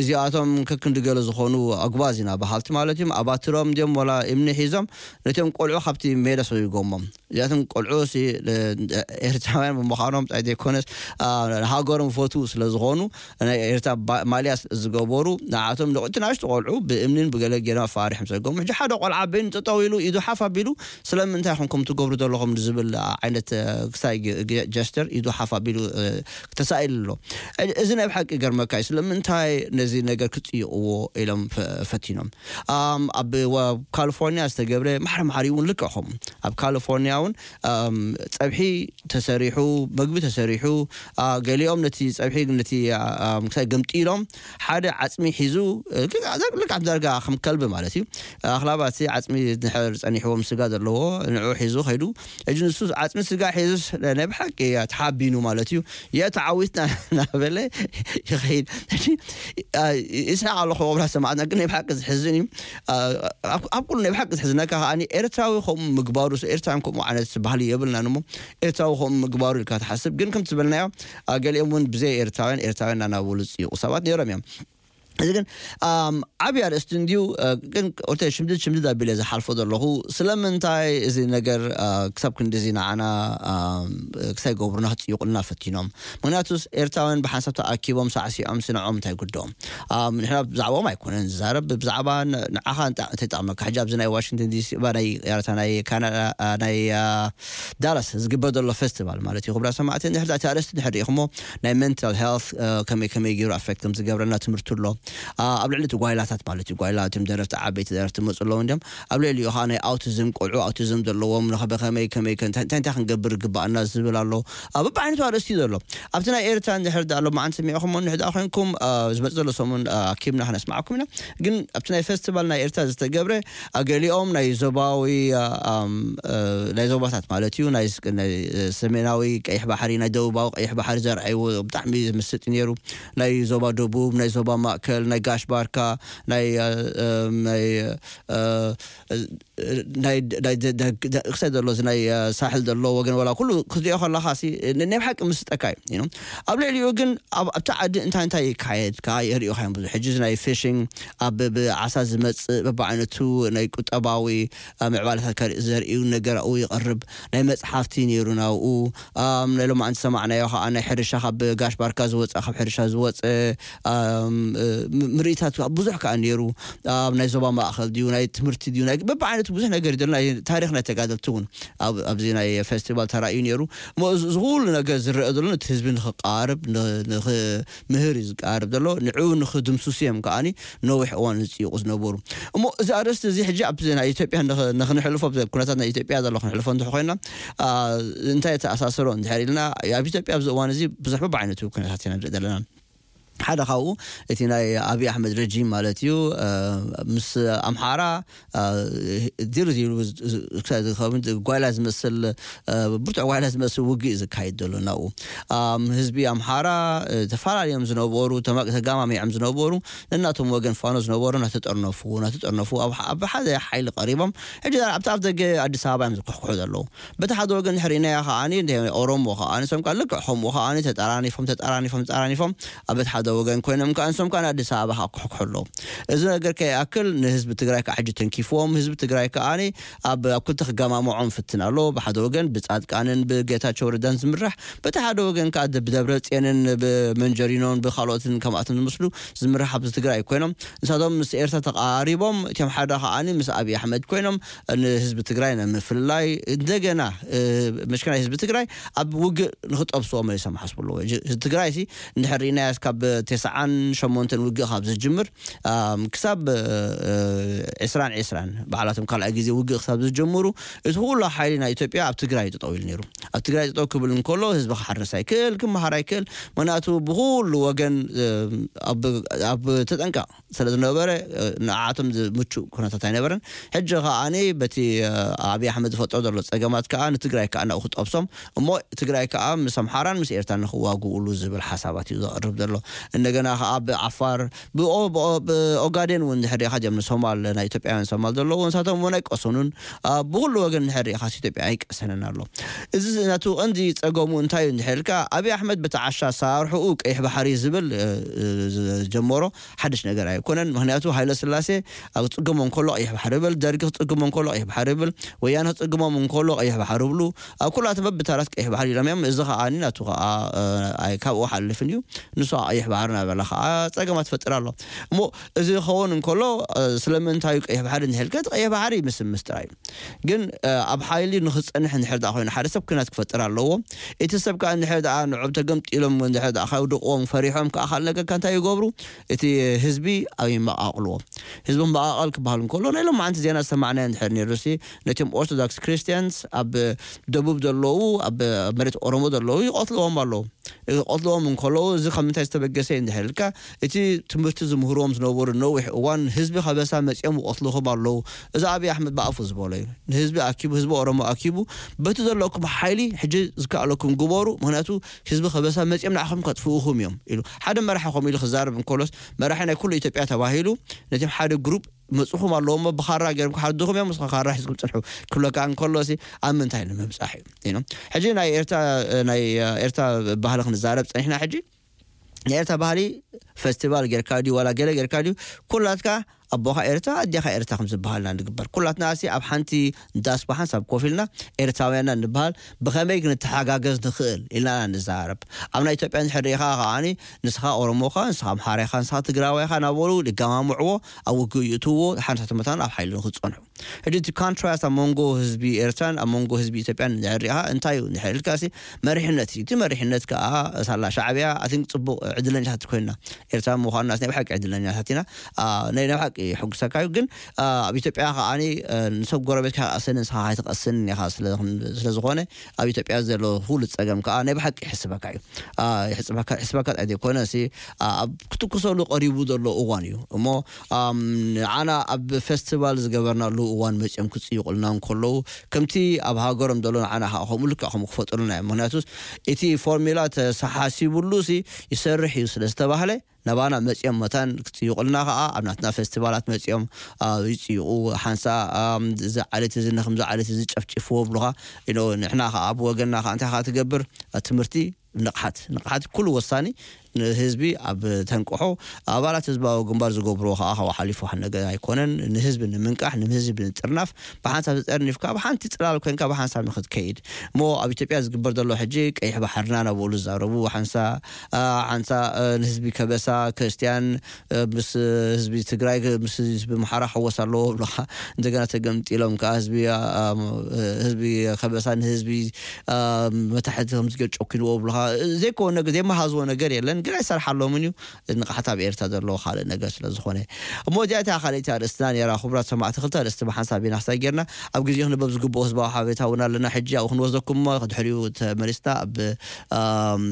እዚኣቶም ከክንዲ ገለ ዝኾኑ ኣጉባዝ ኢና በሃልቲ ማለት እዮም፣ ኣባትሮም ድዮም ወላ እምኒ ሒዞም ነቲኦም ቆልዑ ካብቲ ሜዳ ሰጉጎሞም። እዚኣቶም ቆልዑ ኤርትራውያን ብምዃኖም ፃይ ዘይኮነስ ሃገሮም ፈትዉ ስለ ዝኾኑ፣ ናይ ኤርትራ ማልያ ዝገበሩ ንዓቶም ንቑቲ ናሽቱ ቆልዑ ብእምኒን ብገለ ገይሮም ኣፋሪሖም ሰጎም። ሕጂ ሓደ ቆልዓ በይኑ ጠጠው ኢሉ ኢዱ ሓፍ ኣቢሉ ስለምንታይ ኢኹም ከም ትገብሩ ዘለኹም ዝብል ዓይነት ክሳይ ጀስተር ኢዱ ሓፍ ኣቢሉ ተሳኢሉ ኣሎ። እዚ ናይ ብሓቂ ገርመካ እዩ። ስለምንታይ ነዚ ነገር ክፅይቕዎ ኢሎም ፈቲኖም። ኣብ ካሊፎርኒያ ዝተገብረ ማሕረ ማሕሪ እውን ልክዕኹም ኣብ ካሊፎርኒያ እውን ፀብሒ ተሰሪሑ፣ መግቢ ተሰሪሑ፣ ገሊኦም ነቲ ፀብሒ ነቲ ክሳይ ገምጢሎም ሓደ ዓፅሚ ሒዙ ልክዕ ዳርጋ ከም ከልቢ ማለት እዩ ኣኽላባት ዓፅሚ ድሕር ፀኒሕዎም ስጋ ዘለዎ ንዑ ሒዙ ከይዱ። ሕጂ ንሱ ዓፅሚ ስጋ ሒዙስ ናይ ብሓቂ ተሓቢኑ ማለት እዩ። የ ተዓዊትና እናበለ ይኸይድ። ይስሓቅ ኣለኹ ክቡራት ሰማዕትና፣ ግን ናይ ብሓቂ ዝሕዝን እዩ። ኣብ ኩሉ ናይ ብሓቂ ዝሕዝነካ ከዓ ኤርትራዊ ከምኡ ምግባሩ፣ ኤርትራውያን ከምኡ ዓይነት ባህሊ የብልናን እሞ ኤርትራዊ ከምኡ ምግባሩ ኢልካ ትሓስብ። ግን ከም ትበልናዮ ገሊኦም እውን ብዘይ ኤርትራውያን ኤርትራውያን እናናበሉ ዝፅይቁ ሰባት ነይሮም እዮም። እዚ ግን ዓብዪ ኣርእስቲ እንድዩ። ግን ኦርተ ሽምድድ ሽምድድ ኣቢለ ዝሓልፎ ዘለኹ ስለምንታይ እዚ ነገር ክሳብ ክንዲዚ ንዓና ክሳይ ገብሩና ክፅይቁልና ፈቲኖም? ምክንያቱስ ኤርትራውያን ብሓንሳብ ተኣኪቦም ሳዕሲዖም ስንዖም እንታይ ጉድኦም? ንሕና ብዛዕባኦም ኣይኮነን ዝዛረብ፣ ብዛዕባ ንዓኻ እንተይጠቕመካ። ሕጂ ኣብዚ ናይ ዋሽንግተን ዲሲ ናይ ያረታ ናይ ካናዳ ናይ ዳላስ ዝግበር ዘሎ ፌስቲቫል ማለት እዩ። ክቡራት ሰማዕቲ፣ እንድሕር እቲ ኣርእስቲ እንድሕር ርኢኹሞ ናይ ሜንታል ሄልት ከመይ ከመይ ገይሩ ኣፌክት ከም ዝገብረና ትምህርቲ ኣሎ። ኣብ ልዕሊ እቲ ጓይላታት ማለት እዩ። ጓይላ እቶም ደረፍቲ፣ ዓበይቲ ደረፍቲ መፁ ኣለዉ እንዲም ኣብ ልዕሊኡ ከዓ ናይ ኣውቲዝም፣ ቆልዑ ኣውቲዝም ዘለዎም ንኸበ ከመይ ከመይ ከ- እንታይ እንታይ ክንገብር ግባኣና ዝብል ኣሎ። ኣብ በብዓይነቱ ኣርእስቲ እዩ ዘሎ። ኣብቲ ናይ ኤርትራ እንድሕር ዳ ኣሎ መዓንቲ ሰሚዕኹም እንድሕር ዳ ኮይንኩም ዝመፅ ዘሎ ሰሙን ኣኪብና ክነስማዕኩም ኢና። ግን ኣብቲ ናይ ፌስቲቫል ናይ ኤርትራ ዝተገብረ ገሊኦም ናይ ዞባዊ ናይ ዞባታት ማለት እዩ ናይ ሰሜናዊ ቀይሕ ባሕሪ፣ ናይ ደቡባዊ ቀይሕ ባሕሪ ዘርኣይዎ ብጣዕሚ ዝምስጥ ነይሩ። ናይ ዞባ ደቡብ፣ ናይ ዞባ ማእከል፣ ናይ ጋሽ ባርካ፣ ናይ ናይ ክሳይ ዘሎ ናይ ሳሕል ዘሎ ወገን ወላ ኩሉ ክትሪኦ ከለካ ናይ ብሓቂ ምስጠካ እዩ። ኣብ ልዕሊኡ ግን ኣብቲ ዓዲ እንታይ እንታይ ይካየድ ከዓ የርእዩካ እዮም ብዙሕ። ሕጂ ናይ ፊሽንግ ኣብ ብዓሳ ዝመፅእ በብዓይነቱ ናይ ቁጠባዊ ምዕባለታት ዘርእዩ ነገር ኣብኡ ይቐርብ። ናይ መፅሓፍቲ ነይሩ ናብኡ። ናይ ሎማዓንቲ ሰማዕናዮ ከዓ ናይ ሕርሻ ካብ ጋሽ ባርካ ዝወፀ ካብ ሕርሻ ዝወፀ ምርኢታት ብዙሕ ከዓ ነይሩ። ኣብ ናይ ዞባ ማእኸል ድዩ ናይ ትምህርቲ ድዩ ናይ በብዓይነቱ ብዙሕ ነገር ይደሎ። ናይ ታሪኽ ናይ ተጋደልቲ እውን ኣብዚ ናይ ፌስቲቫል ተራእዩ ነይሩ። እዚ ኩሉ ነገር ዝረአ ዘሎ ነቲ ህዝቢ ንክቃርብ ንምህር እዩ ዝቃርብ ዘሎ። ንዕኡ ንክድምስሱ እዮም ከዓኒ ነዊሕ እዋን ዝፅይቑ ዝነበሩ። እሞ እዚ ኣርእስቲ እዚ ሕጂ ኣብ ናይ ኢትዮጵያ ንክንሕልፎ ኩነታት ናይ ኢትዮጵያ ዘሎ ክንሕልፎ እንተ ኮይና እንታይ ተኣሳሰሮ እንድሕር ኢልና ኣብ ኢትዮጵያ ኣብዚ እዋን እዚ ብዙሕ በብዓይነቱ ኩነታት ኢና ንርኢ ዘለና። ሓደ ካብኡ እቲ ናይ ኣብይ ኣሕመድ ረጂም ማለት እዩ። ምስ ኣምሓራ ዲሩ ዲሩ ዝኸውን ጓይላ ዝመስል ብርቱዕ ጓይላ ዝመስል ውግእ እዩ ዝካየድ ዘሎ ናብኡ። ህዝቢ ኣምሓራ ተፈላለዮም ዝነበሩ ተጋማሚዖም ዝነበሩ ነናቶም ወገን ፋኖ ዝነበሩ እናተጠርነፉ እናተጠርነፉ ኣብ ሓደ ሓይሊ ቀሪቦም ሕጂ ኣብቲ ኣፍ ደገ ኣዲስ ኣበባ እዮም ዝኩሕኩሑ ዘለዉ። በቲ ሓደ ወገን ሕሪናያ ከዓኒ ኦሮሞ ከዓኒ ሶም ከዓ ልክዕ ከምኡ ከዓኒ ተጠራኒፎም ተጠራኒፎም ተጠራኒፎም ኣብ በቲ ሓደ ወገን ኮይኖም ከዓ ንሶም ከዓ ኣዲስ ኣበባ ከዓ ክሕኩሑ ኣለዉ። እዚ ነገር ከይኣክል ንህዝቢ ትግራይ ከዓ ሕጂ ተንኪፍዎም ህዝቢ ትግራይ ከዓኒ ኣብ ኣብ ክልተ ክገማምዖም ፍትን ኣሎ። ብሓደ ወገን ብፃድቃንን ብጌታቸው ረዳን ዝምራሕ፣ በቲ ሓደ ወገን ከዓ ብደብረ ፅዮንን ብመንጀሪኖን ብካልኦትን ከምኣቶም ዝመስሉ ዝምራሕ ኣብዚ ትግራይ ኮይኖም ንሳቶም ምስ ኤርትራ ተቃሪቦም እቲኦም ሓደ ከዓኒ ምስ ኣብይ ኣሕመድ ኮይኖም ንህዝቢ ትግራይ ንምፍላይ እንደገና መሽክናይ ህዝቢ ትግራይ ኣብ ውግእ ንክጠብስዎ መሊሶም ሓስቡ ኣለዎ። ህዝቢ ትግራይ ሲ እንድሕር ርኢናያ ካብ ተስዓን ሸሞንተን ውግእ ካብ ዝጅምር ክሳብ ዕስራን ዕስራን በዓላቶም ካልኣይ ግዜ ውግእ ክሳብ ዝጀምሩ እቲ ኩሉ ሓይሊ ናይ ኢትዮጵያ ኣብ ትግራይ ጠጠው ኢሉ ነይሩ። ኣብ ትግራይ ጠጠው ክብል እንከሎ ህዝቢ ክሓርስ ኣይክእል ክመሃር ኣይክእል። ምክንያቱ ብኩሉ ወገን ኣብ ተጠንቀቕ ስለ ዝነበረ ንዓቶም ዝምቹ ኩነታት ኣይነበረን። ሕጂ ከዓኒ በቲ ኣብይ ኣሕመድ ዝፈጥሮ ዘሎ ፀገማት ከዓ ንትግራይ ከዓ ናብኡ ክጠብሶም እሞ ትግራይ ከዓ ምስ ኣምሓራን ምስ ኤርትራን ንክዋግኡሉ ዝብል ሓሳባት እዩ ዘቕርብ ዘሎ። እንደገና ከዓ ብዓፋር ብኦጋዴን እውን ድሕር ሪኢካ ዲኦም ንሶማል ናይ ኢትዮጵያውያን ሶማል ዘለዉ ንሳቶም እውን ኣይቀሰኑን። ብኩሉ ወገን ድሕር ሪኢካ ኢትዮጵያ ኣይቀሰንን ኣሎ። እዚ ናቱ ቀንዲ ፀገሙ እንታይ እዩ እንድሕር ኢልካ ኣብይ ኣሕመድ በቲ ዓሻ ኣሰራርሕኡ ቀይሕ ባሕሪ ዝብል ዝጀመሮ ሓድሽ ነገር ኣይኮነን። ምክንያቱ ሃይለ ስላሴ ኣብ ክፅግሞ እንከሎ ቀይሕ ባሕሪ ይብል፣ ደርጊ ክፅግሞ እንከሎ ቀይሕ ባሕሪ ይብል፣ ወያነ ክፅግሞም እንከሎ ቀይሕ ባሕሪ ይብሉ። ኣብ ኩላተ በብታራት ቀይሕ ባሕሪ ኢሎም እዮም። እዚ ከዓ ናቱ ከዓ ካብኡ ሓልፍን እዩ። ንሱ ቀይሕ ባሕሪ ናበላ ከዓ ፀገማት ፈጥር ኣሎ። እሞ እዚ ክኸውን እንከሎ ስለምንታይ እዩ ቀይሕ ባሕሪ እንድሕልከ እቲ ቀይሕ ባሕሪ ምስ ምስጥራ እዩ። ግን ኣብ ሓይሊ ንክፀንሕ እንድሕር ዳ ኮይኑ ሓደ ሰብ ኩናት ክፈጥር ኣለዎ። እቲ ሰብ ከዓ እንድሕር ዳ ንዕብ ተገምጢሎም እንድሕር ዳ ከውድቅዎም ፈሪሖም ከዓ ካልእ ነገር እንታይ ይገብሩ? እቲ ህዝቢ ኣብ ይመቃቅልዎ። ህዝቢ መቃቀል ክበሃል እንከሎ ናይ ሎማዓንቲ ዜና ዝሰማዕናዮ እንድሕር ነይሩ ሲ ነቲኦም ኦርቶዶክስ ክርስቲያንስ ኣብ ደቡብ ዘለዉ ኣብ መሬት ኦሮሞ ዘለዉ ይቀትልዎም ኣለዉ። ይቀትልዎም እንከለዉ እዚ ካብ ምንታይ ዝተበገሰ እዩ እንድሕር ኢልካ እቲ ትምህርቲ ዝምህርዎም ዝነበሩ ነዊሕ እዋን ህዝቢ ከበሳ መፂኦም ይቀትልኹም ኣለዉ። እዚ ኣብይ ኣሕመድ ብኣፉ ዝበሎ እዩ። ንህዝቢ ኣኪቡ ህዝቢ ኦሮሞ ኣኪቡ በቲ ዘለኩም ሓይሊ ሕጂ ዝከኣለኩም ግበሩ። ምክንያቱ ህዝቢ ከበሳ መፂኦም ንዓኹም ከጥፍኡኹም እዮም ኢሉ ሓደ መራሒ ከምኡ ኢሉ ክዛረብ እንከሎስ መራሒ ናይ ኩሉ ኢትዮጵያ ተባሂሉ ነቲም ሓደ ግሩፕ መፅኹም ኣለዎ እሞ ብኻራ ገይሮም ክሓርድኹም እዮም። ንስኻ ካራ ሒዝኩም ፅንሑ ክብለካ እንከሎ ሲ ኣብ ምንታይ ንምብፃሕ እዩ? ሕጂ ናይ ኤርትራ ናይ ኤርትራ ባህሊ ክንዛረብ ፀኒሕና ሕጂ ናይ ኤርትራ ባህሊ ፈስቲቫል ጌርካ ድዩ ዋላ ገለ ጌርካ ድዩ ኩላትካ ኣቦኻ ኤርትራ ኣዴኻ ኤርትራ ከም ዝበሃልና ንግበር። ኩላትና ሲ ኣብ ሓንቲ ዳስ ብሓንሳብ ኮፍ ኢልና ኤርትራውያንና ንበሃል፣ ብኸመይ ክንተሓጋገዝ ንኽእል ኢልና ንዛረብ። ኣብ ናይ ኢትዮጵያ እንድሕር ርኢኻ ከዓኒ ንስኻ ኦሮሞኻ፣ ንስኻ ኣምሓራኻ፣ ንስኻ ትግራዋይኻ እናበሉ ይገማምዕዎ፣ ኣብ ውግእ ይእትውዎ፣ ሓንሳብ መታን ኣብ ሓይሊ ንክጸንሑ። ሕጂ እቲ ኮንትራስት ኣብ መንጎ ህዝቢ ኤርትራን ኣብ መንጎ ህዝቢ ኢትዮጵያን እንድሕር ርኢኻ እንታይ እዩ እንድሕር ኢልካ ሲ መሪሕነት እዩ። እቲ መሪሕነት ከኣ ሳላ ሻዕብያ ኣቲንክ ጽቡቕ ዕድለኛታት ኮይንና ኤርትራ ምዃንና ናይ ብሓቂ ዕድለኛታት ኢና። አ፣ ናይ ናይ ብሓቂ የሐጉሰካ እዩ። ግን፣ አ፣ ኣብ ኢትዮጵያ ከዓኒ፣ አ፣ ንሰብ ጎረቤትካ ይቐስን ንስኻ ኣይትቐስን ኢኻ ስለ፣ ስለ ዝኾነ ኣብ ኢትዮጵያ ዘሎ ኩሉ ጸገም ከኣ ናይ ብሓቂ ይሕስበካ እዩ። አ፣ ይሕስበካ፣ ይሕስበካ ጥራይ ዘይኮነ ሲ፣ አ፣ ኣብ ክትኩሰሉ ቀሪቡ ዘሎ እዋን እዩ። እሞ፣ ኣም፣ ንዓና ኣብ ፌስቲቫል ዝገበርናሉ እዋን መጺኦም ክጽይቑልና እንከለዉ፣ ከምቲ ኣብ ሃገሮም ዘሎ ንዓና ከኣ ከምኡ ልክዕ ከምኡ ክፈጥሩልና እዮም። ምኽንያቱስ እቲ ፎርሚላ ተሰሓሲቡሉ ሲ ይሰርሕ እዩ ስለ ዝተባህለ፣ ናባና መጺኦም መታን ክጽይቑልና ከኣ ኣብ ናትና ፌስቲቫላት መጺኦም፣ አ፣ ይጽይቑ። ሓንሳ፣ ኣም፣ እዚ ዓሌት እዚ ንክምዚ ዓሌት እዚ ጨፍጭፍዎ ብሉኻ። ኢኖ ንሕና ከኣ ብወገንና ከኣ እንታይ ከኣ ትገብር? አ፣ ትምህርቲ ንቕሓት፣ ንቕሓት ኩሉ ወሳኒ። ንህዝቢ ኣብ ተንቅሖ፣ ኣባላት ህዝባዊ ግንባር ዝገብርዎ ከኣ ካብኡ ሓሊፉ ሓደ ነገር ኣይኮነን። ንህዝቢ ንምንቃሕ፣ ንህዝቢ ንጥርናፍ፣ ብሓንሳብ ተጠርኒፍካ፣ ብሓንቲ ጽላል ኮይንካ ብሓንሳብ ንኽትከይድ። እሞ ኣብ ኢትዮጵያ ዝግበር ዘሎ ሕጂ ቀይሕ ባሕርና እናበሉ ዝዛረቡ፣ ሓንሳ፣ አ፣ ሓንሳ፣ አ፣ ንህዝቢ ከበሳ፣ ክርስትያን፣ አ፣ ምስ ህዝቢ ትግራይ፣ ምስ ህዝቢ ኣምሓራ ክሕወስ ኣለዎ ብሉኻ። እንደገና ተገምጢሎም ከኣ ህዝቢ፣ አ፣ አ፣ ህዝቢ ከበሳ ንህዝቢ፣ አ፣ መታሕቲ ከም ዝገር ጨኪንዎ ብሉኻ። ዘይኮነ ነገር፣ ዘይመሃዝዎ ነገር የለን፣ ግን ኣይሰርሓሎምን እዩ። ንቕሓት ኣብ ኤርትራ ዘለዎ ካልእ ነገር ስለ ዝኾነ። እሞ እዚኣ እታ ካልኣይቲ ኣርእስትና ነይራ። ክቡራት ሰማዕቲ፣ ክልተ ኣርእስቲ ብሓንሳብ ኢና ክሳብ ጌርና፣ ኣብ ግዜ ክንበብ ዝግብኦ ህዝባዊ ሓበሬታ እውን ኣለና። ሕጂ ኣብኡ ክንወስደኩም እሞ፣ ድሕሪኡ ተመሊስና ኣብ፣ አ፣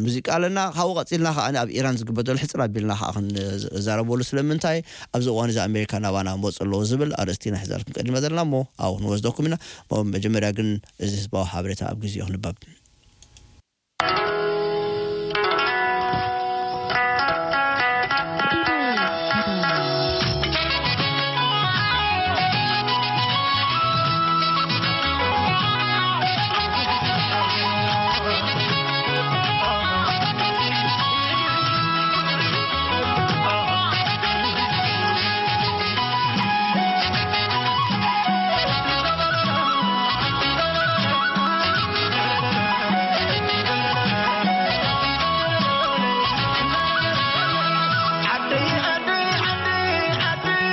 ሙዚቃ ኣለና። ካብኡ ቀጺልና ከኣ ኣብ ኢራን ዝግበር ዘሎ ሕጽር ኣቢልና ከኣ ክንዛረበሉ። ስለምንታይ ኣብዚ እዋን እዚ ኣሜሪካ ናባና መጹ ኣለዎ ዝብል ኣርእስቲ ኢና ሒዛልኩም ቀዲመ ዘለና እሞ፣ ኣብኡ ክንወስደኩም ኢና። እሞ መጀመርያ ግን እዚ ህዝባዊ ሓበሬታ ኣብ ግዜኡ ክንበብ። ዓደይ ዓደይ ዓደይ ዓደይ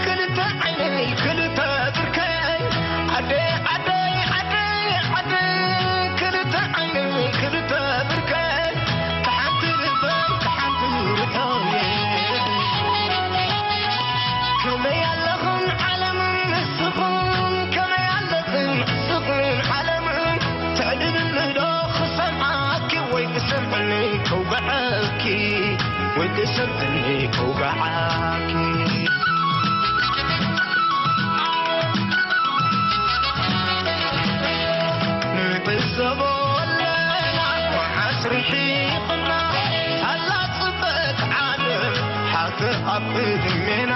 ክልተ ዓይነይ ክልተ ብርከይ ዓደይ ዓደይ ዓደይ ዓደይ ክልተ ዓይነይ ክልተ ብርከይ ተሓንቲ ልበይ ተሓንቲ ርሑየይ ከመይ ኣለኽን ዓለምን ንስኽን ከመይ ኣለኽን ንስኽን ዓለምን ትዕድልኒ ዶ ክሰምዓኪ ወይ ክሰምዕኒ ከውግዓኪ ወይ ክሰምዕኒ ከውግዓኪ ንዕዘቦ ኣለና መዓስ ርሒቕና ኣላ ጽበት ዓለም ሓቂ ኣብ ቅድሜና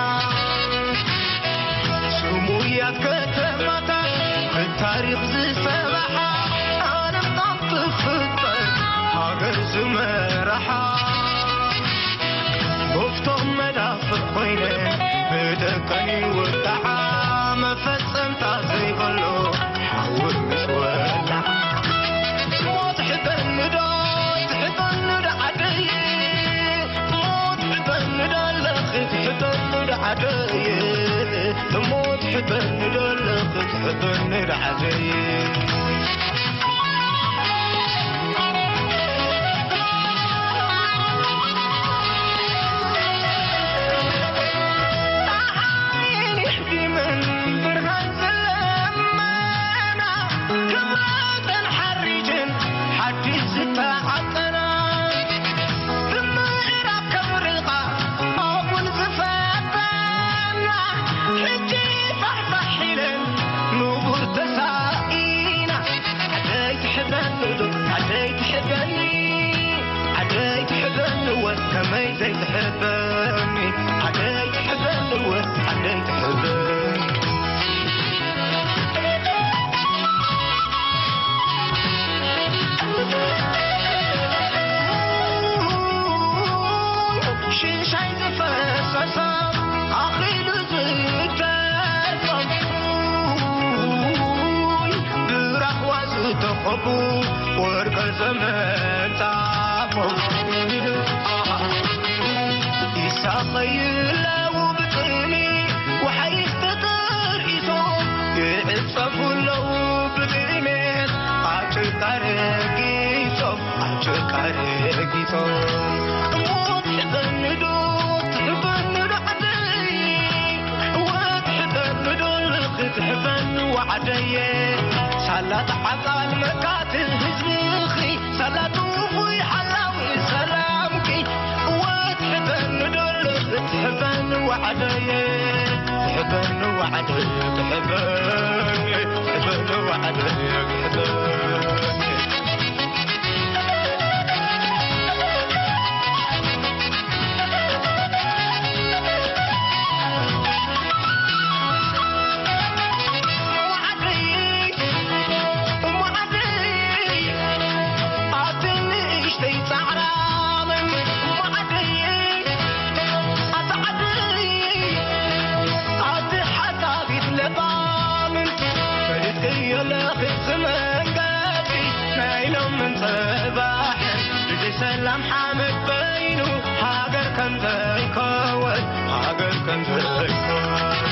ስሙያት ከተማታት ብታሪኽ ዝሰበሓ ዓለም ካብ ትፍጠር ሃገር ዝመራሓ መፍቶም መዳፍእ ኮይነ ብደቀን ይወቃዓ መፈጸምታ ዘይብሉ ሓዊ ምስ ወላዓ ሞት ሕጠኒ ዶ ትሕጠኒ ዶ ዓደይ ሞት ሕጠኒ ዶ ኣለኺ ትሕጠኒ ዶ ዓደይ ሞት ሕጠኒ ዶ ኣለኺ ትሕጠኒ ዶ ዓደይ ወርቀ ዘመንታፎም ይሳቐዩ ኣለዉ ብጥሜት፣ ወሓይዝ ተጠርኢሶም ይዕጸፉ ኣለዉ ብጥሜት። ኣብ ጭቃ ረጊጾም፣ ኣብ ጭቃ ረጊጾም፣ እሞ ትሕበኒ ዶ፣ ትሕበኒ ዶ ዓደይ? ወትሕበኒ ዶ ክትሕበኒ ዋዕደየ? ሳላ ተዓጻል መካት ህዝብኺ፣ ሳላ ጥፉይ ሓላዊ ሰላምኪ። ወትሕበኒ ዶ ክትሕበኒ ዋዕደየ? ትሕበኒ ዋዕደየ፣ ትሕበኒ፣ ትሕበኒ ዋዕደየ፣ ትሕበኒ። ሰላም ሓመድ በይኑ ሃገር ከም ዘይከወን፣ ሃገር ከም ዘይከወን።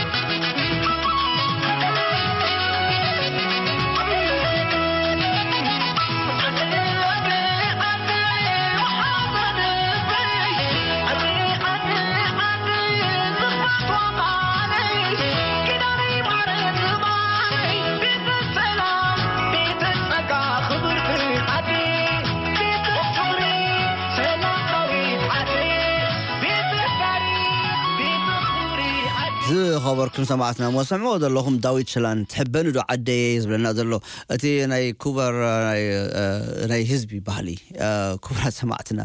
ዝኸበርኩም ሰማዕትና፣ መሰምዑ ዘለኹም ዳዊት ችላን ትሕበኒ ዶ ዓደየ እዩ ዝብለና ዘሎ። እቲ ናይ ኩበር፣ ናይ፣ እ፣ ናይ ህዝቢ ባህሊ፣ እ፣ ክቡራት ሰማዕትና፣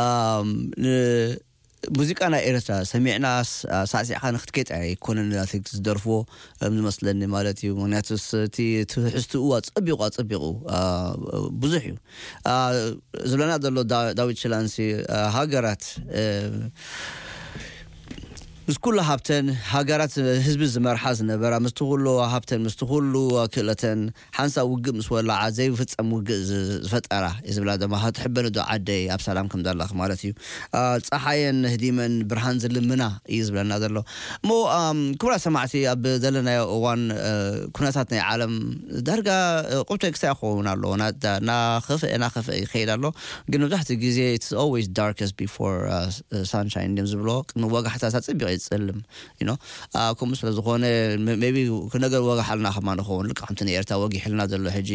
ኣም፣ ን-፣ ሙዚቃ ናይ ኤርትራ ሰሚዕና ስ-፣ ሳዕሲዕካ ንክትከይድ ኣይኮነን ናተይ ዝደርፍዎ፣ ከም ዝመስለኒ ማለት እዩ። ምክንያቱ ስ-፣ እቲ ትሕዝትኡ ኣጸቢቑ፣ ኣጸቢቑ፣ እ፣ ብዙሕ እዩ። እ፣ ዝብለና ዘሎ ዳ-፣ ዳዊት ችላንሲ፣ እ፣ ሃገራት፣ እ፣ ምስ ኩሉ ሃብተን፣ ሃገራት ህዝቢ ዝመርሓ ዝነበራ፣ ምስቲ ኩሉ ሃብተን፣ ምስቲ ኩሉ ክእለተን፣ ሓንሳብ ውግእ ምስ ወላዓ ዘይፍጸም ውግእ ዝ-፣ ዝፈጠራ እዩ ዝብላ ድማ፣ ትሕበኒ ዶ ዓደይ ኣብ ሰላም ከም ዘላኺ ማለት እዩ። አ፣ ጸሓየን ህዲመን ብርሃን ዝልምና እዩ ዝብለና ዘሎ። እሞ፣ ኣም፣ ክቡራት ሰማዕቲ፣ ኣብ ዘለናዮ እዋን፣ እ፣ ኩነታት ናይ ዓለም ዳርጋ፣ እ፣ ቁብተ ክሳይ ክኸውን ኣለዎ። ና-፣ ዳ-፣ እናኸፍአ፣ እናኸፍአ ይኸይድ ኣሎ። ግን መብዛሕትኡ ግዜ it's always darkest before, እ፣ እ፣ sunshine እዮም ዝብሎ። ቅድሚ ወጋሕታ ኣጸቢቑ ይጸልም። You know? አ፣ ከምኡ ስለ ዝኾነ፣ መ-፣ maybe ክነገር ወጋሕ ኣልና ከማ ንኸውን። ልክዕ ከምቲ ንኤርትራ ወጊሕልና ዘሎ ሕጂ፣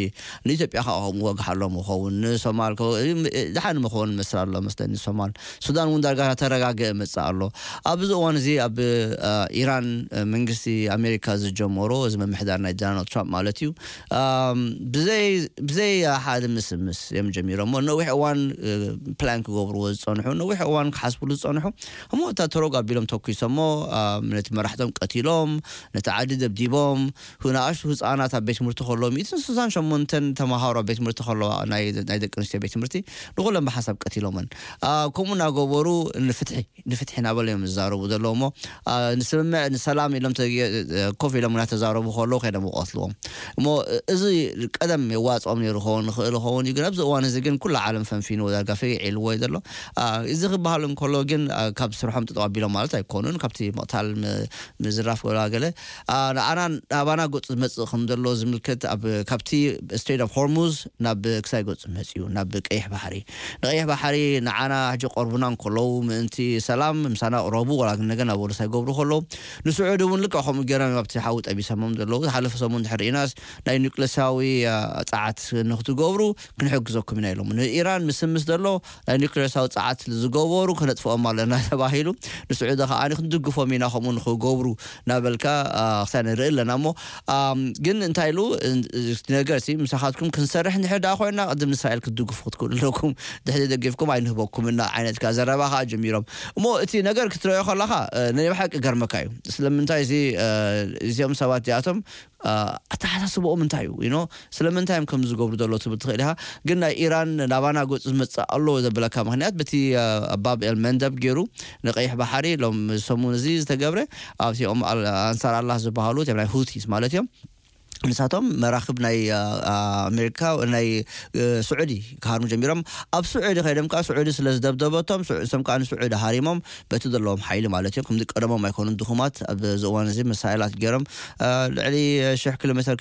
ንኢትዮጵያ ከዓ ከምኡ ወጋሕ ኣሎ ምኸውን። ንሶማል ከ-፣ እ፣ እ፣ ደሓን ምኸውን መስል ኣሎ መስለኒ። ሶማል፣ ሱዳን እውን ዳርጋ ተረጋግአ መጽእ ኣሎ። ኣብዚ እዋን እዚ ኣብ፣ አ፣ ኢራን፣ እ፣ መንግስቲ ኣሜሪካ ዝጀመሮ፣ እዚ ምምሕዳር ናይ ዶናልድ ትራምፕ ማለት እዩ። ኣም፣ ብዘይ፣ ብዘይ ሓደ ምስምስ እዮም ጀሚሮሞ። ነዊሕ እዋን፣ እ፣ ፕላን ክገብርዎ ዝጸንሑ፣ ነዊሕ እዋን ክሓስብሉ ዝጸንሑ፣ እሞ እታ ተሮግ ኣቢሎም ተኩሶሞ፣ ኣም፣ ነቲ መራሕቶም ቀቲሎም፣ ነቲ ዓዲ ደብዲቦም፣ ሁ-፣ ንኣሽቱ ህጻናት ኣብ ቤት ትምህርቲ ከለዉ፣ ሚእትን ስሳን ሸሞንተን ተማሃሮ ኣብ ቤት ትምህርቲ ከለዋ፣ ናይ፣ ናይ ደቂ ኣንስትዮ ቤት ትምህርቲ፣ ንኹለን ብሓንሳብ ቀቲሎመን። ኣ፣ ከምኡ እናገበሩ ንፍትሒ፣ ንፍትሒ እናበሉ እዮም ዝዛረቡ ዘለዉ እሞ፣ ኣ፣ ንስምምዕ፣ ንሰላም ኢሎም ተ-፣ ኮፍ ኢሎም እናተዛረቡ ከለዉ ከይዶም ይቐትልዎም። እሞ እዚ ቀደም የዋጽኦም ነይሩ ክኸውን ይኽእል ይኸውን እዩ፣ ግን ኣብዚ እዋን እዚ ግን ኩሉ ዓለም ፈንፊንዎ ዳርጋ ፈጊዕ ኢልዎ እዩ ዘሎ። ኣ፣ እዚ ክበሃል እንከሎ ግን፣ ኣ፣ ካብ ስርሖም ጠጠው ኣቢሎም ማለት ኣይኮኑን። ካብቲ ምቕታል ም-፣ ምዝራፍ ወላ ገለ፣ ኣ፣ ንኣና፣ ናባና ገጹ ዝመጽእ ከም ዘሎ ዝምልከት ኣብ፣ ካብቲ ስትሬት ኦፍ ሆርሙዝ ናብ ክሳይ ገጹ መጽኡ፣ ናብ ቀይሕ ባሕሪ። ንቐይሕ ባሕሪ ንዓና ሕጂ ቀርቡና እንከለዉ ምእንቲ ሰላም ምሳና ቅረቡ፣ ወላ ግን ነገር ናብ ወደሳይ ገብሩ ከለዉ፣ ንስዑዲ እውን ልክዕ ከምኡ ገይሮም ኣብቲ ሓዊ ጠቢሶሞም ዘለዉ። ዝሓለፈ ሰሙን እንድሕር ርኢናስ ናይ ኒውክለሳዊ፣ ኣ፣ ጸዓት ንክትገብሩ ክንሕግዘኩም ኢና ኢሎም። ንኢራን ምስምስ ዘሎ ናይ ኒውክለሳዊ ጸዓት ዝገበሩ ከነጥፍኦም ኣለና ተባሂሉ። ንስዑዲ ከኣ ክንድግፎም ኢና ከምኡ ንክገብሩ እናበልካ፣ ኣ፣ ክሳይ ንርኢ ኣለና እሞ፣ ኣም፣ ግን እንታይ ኢሉ፣ እ-፣ እቲ ነገር ሲ ምሳኻትኩም ክንሰርሕ እንድሕር ደኣ ኮይና ቅድም ንእስራኤል ክትድግፉ ክትክእሉ ኣለኩም። ድሕሪ ደጊፍኩም ኣይንህበኩም እና ዓይነት ከኣ ዘረባ ከኣ ጀሚሮም። እሞ እቲ ነገር ክትርእዮ ከለኻ፣ እ፣ ናይ ብሓቂ ገርመካ እዩ። ስለምንታይ እዚ፣ እ፣ እዚኦም ሰባት እዚኣቶም፣ እ፣ ኣተሓሳስብኦም እንታይ እዩ? You know? ስለምንታይ እዮም ከም ዝገብሩ ዘሎ ትብል ትኽእል ኢኻ። ግን ናይ ኢራን ናባና ገጹ ዝመጽእ ኣሎ ዘብለካ ምኽንያት በቲ፣ እ፣ ባብ ኤል መንደብ ገይሩ ንቀይሕ ባሕሪ ሎም ሰሙን እዚ ዝተገብረ ኣብቲኦም ኣል-፣ ኣንሳር ኣላህ ዝበሃሉ እቲኦም ናይ ሁቲስ ማለት እዮም። ንሳቶም መራክብ ናይ ኣሜሪካ ናይ ስዑዲ ክሃርሙ ጀሚሮም። ኣብ ስዑዲ ከይዶም ከዓ ስዑዲ ስለ ዝደብደበቶም ስዑ- እሶም ከዓ ንስዑዲ ሃሪሞም፣ በቲ ዘለዎም ሓይሊ ማለት እዮም። ከምዚ ቀደሞም ኣይኮኑን ድኹማት። ኣብዚ እዋን እዚ መሳይላት ገይሮም ልዕሊ ሽሕ ኪሎ ሜትር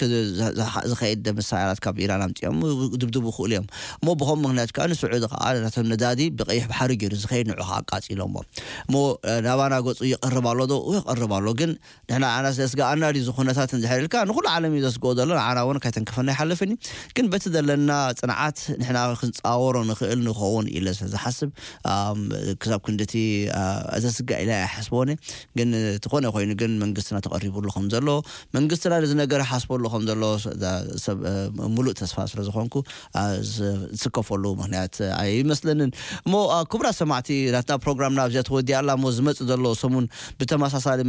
ዝኸይድ መሳይላት ካብ ኢራን ኣምፅኦም ድብድቡ ክእሉ እዮም። እሞ ብኸም ምክንያት ከዓ ንስዑዲ ከዓ ናቶም ነዳዲ ብቀይሕ ባሕሪ ገይሩ ዝኸይድ ንዑ ከዓ ኣቃፂሎሞ። እሞ ናባና ገፁ ይቐርብ ኣሎ ዶ? ይቐርብ ኣሎ። ግን ንሕና ኣና ስለ ስጋኣና ድዩ ዝኹነታት እንድሕር ኢልካ ንኩሉ ዓለም እዩ ዘስግኦ ዘሎ። ንዓና እውን ካይተንከፈና ይሓልፍን እዩ። ግን በቲ ዘለና ፅንዓት ንሕና ክንፃወሮ ንኽእል ንኸውን ኢለ ስለ ዝሓስብ ክሳብ ክንድቲ ዘስጋእ ኢለ ኣይሓስቦን። ግን ዝኾነ ኮይኑ ግን መንግስትና ተቐሪቡ ኣሎ ከም ዘሎ መንግስትና ነዚ ነገር ሓስቦ ኣሎ ከም ዘሎ ሰብ ሙሉእ ተስፋ ስለ ዝኾንኩ ዝስከፈሉ ምክንያት ኣይመስለንን። እሞ ክቡራት ሰማዕቲ ናትና ፕሮግራምና ኣብዚኣ ተወዲኣ ኣላ። እሞ ዝመፅእ ዘሎ ሰሙን ብተመሳሳሊ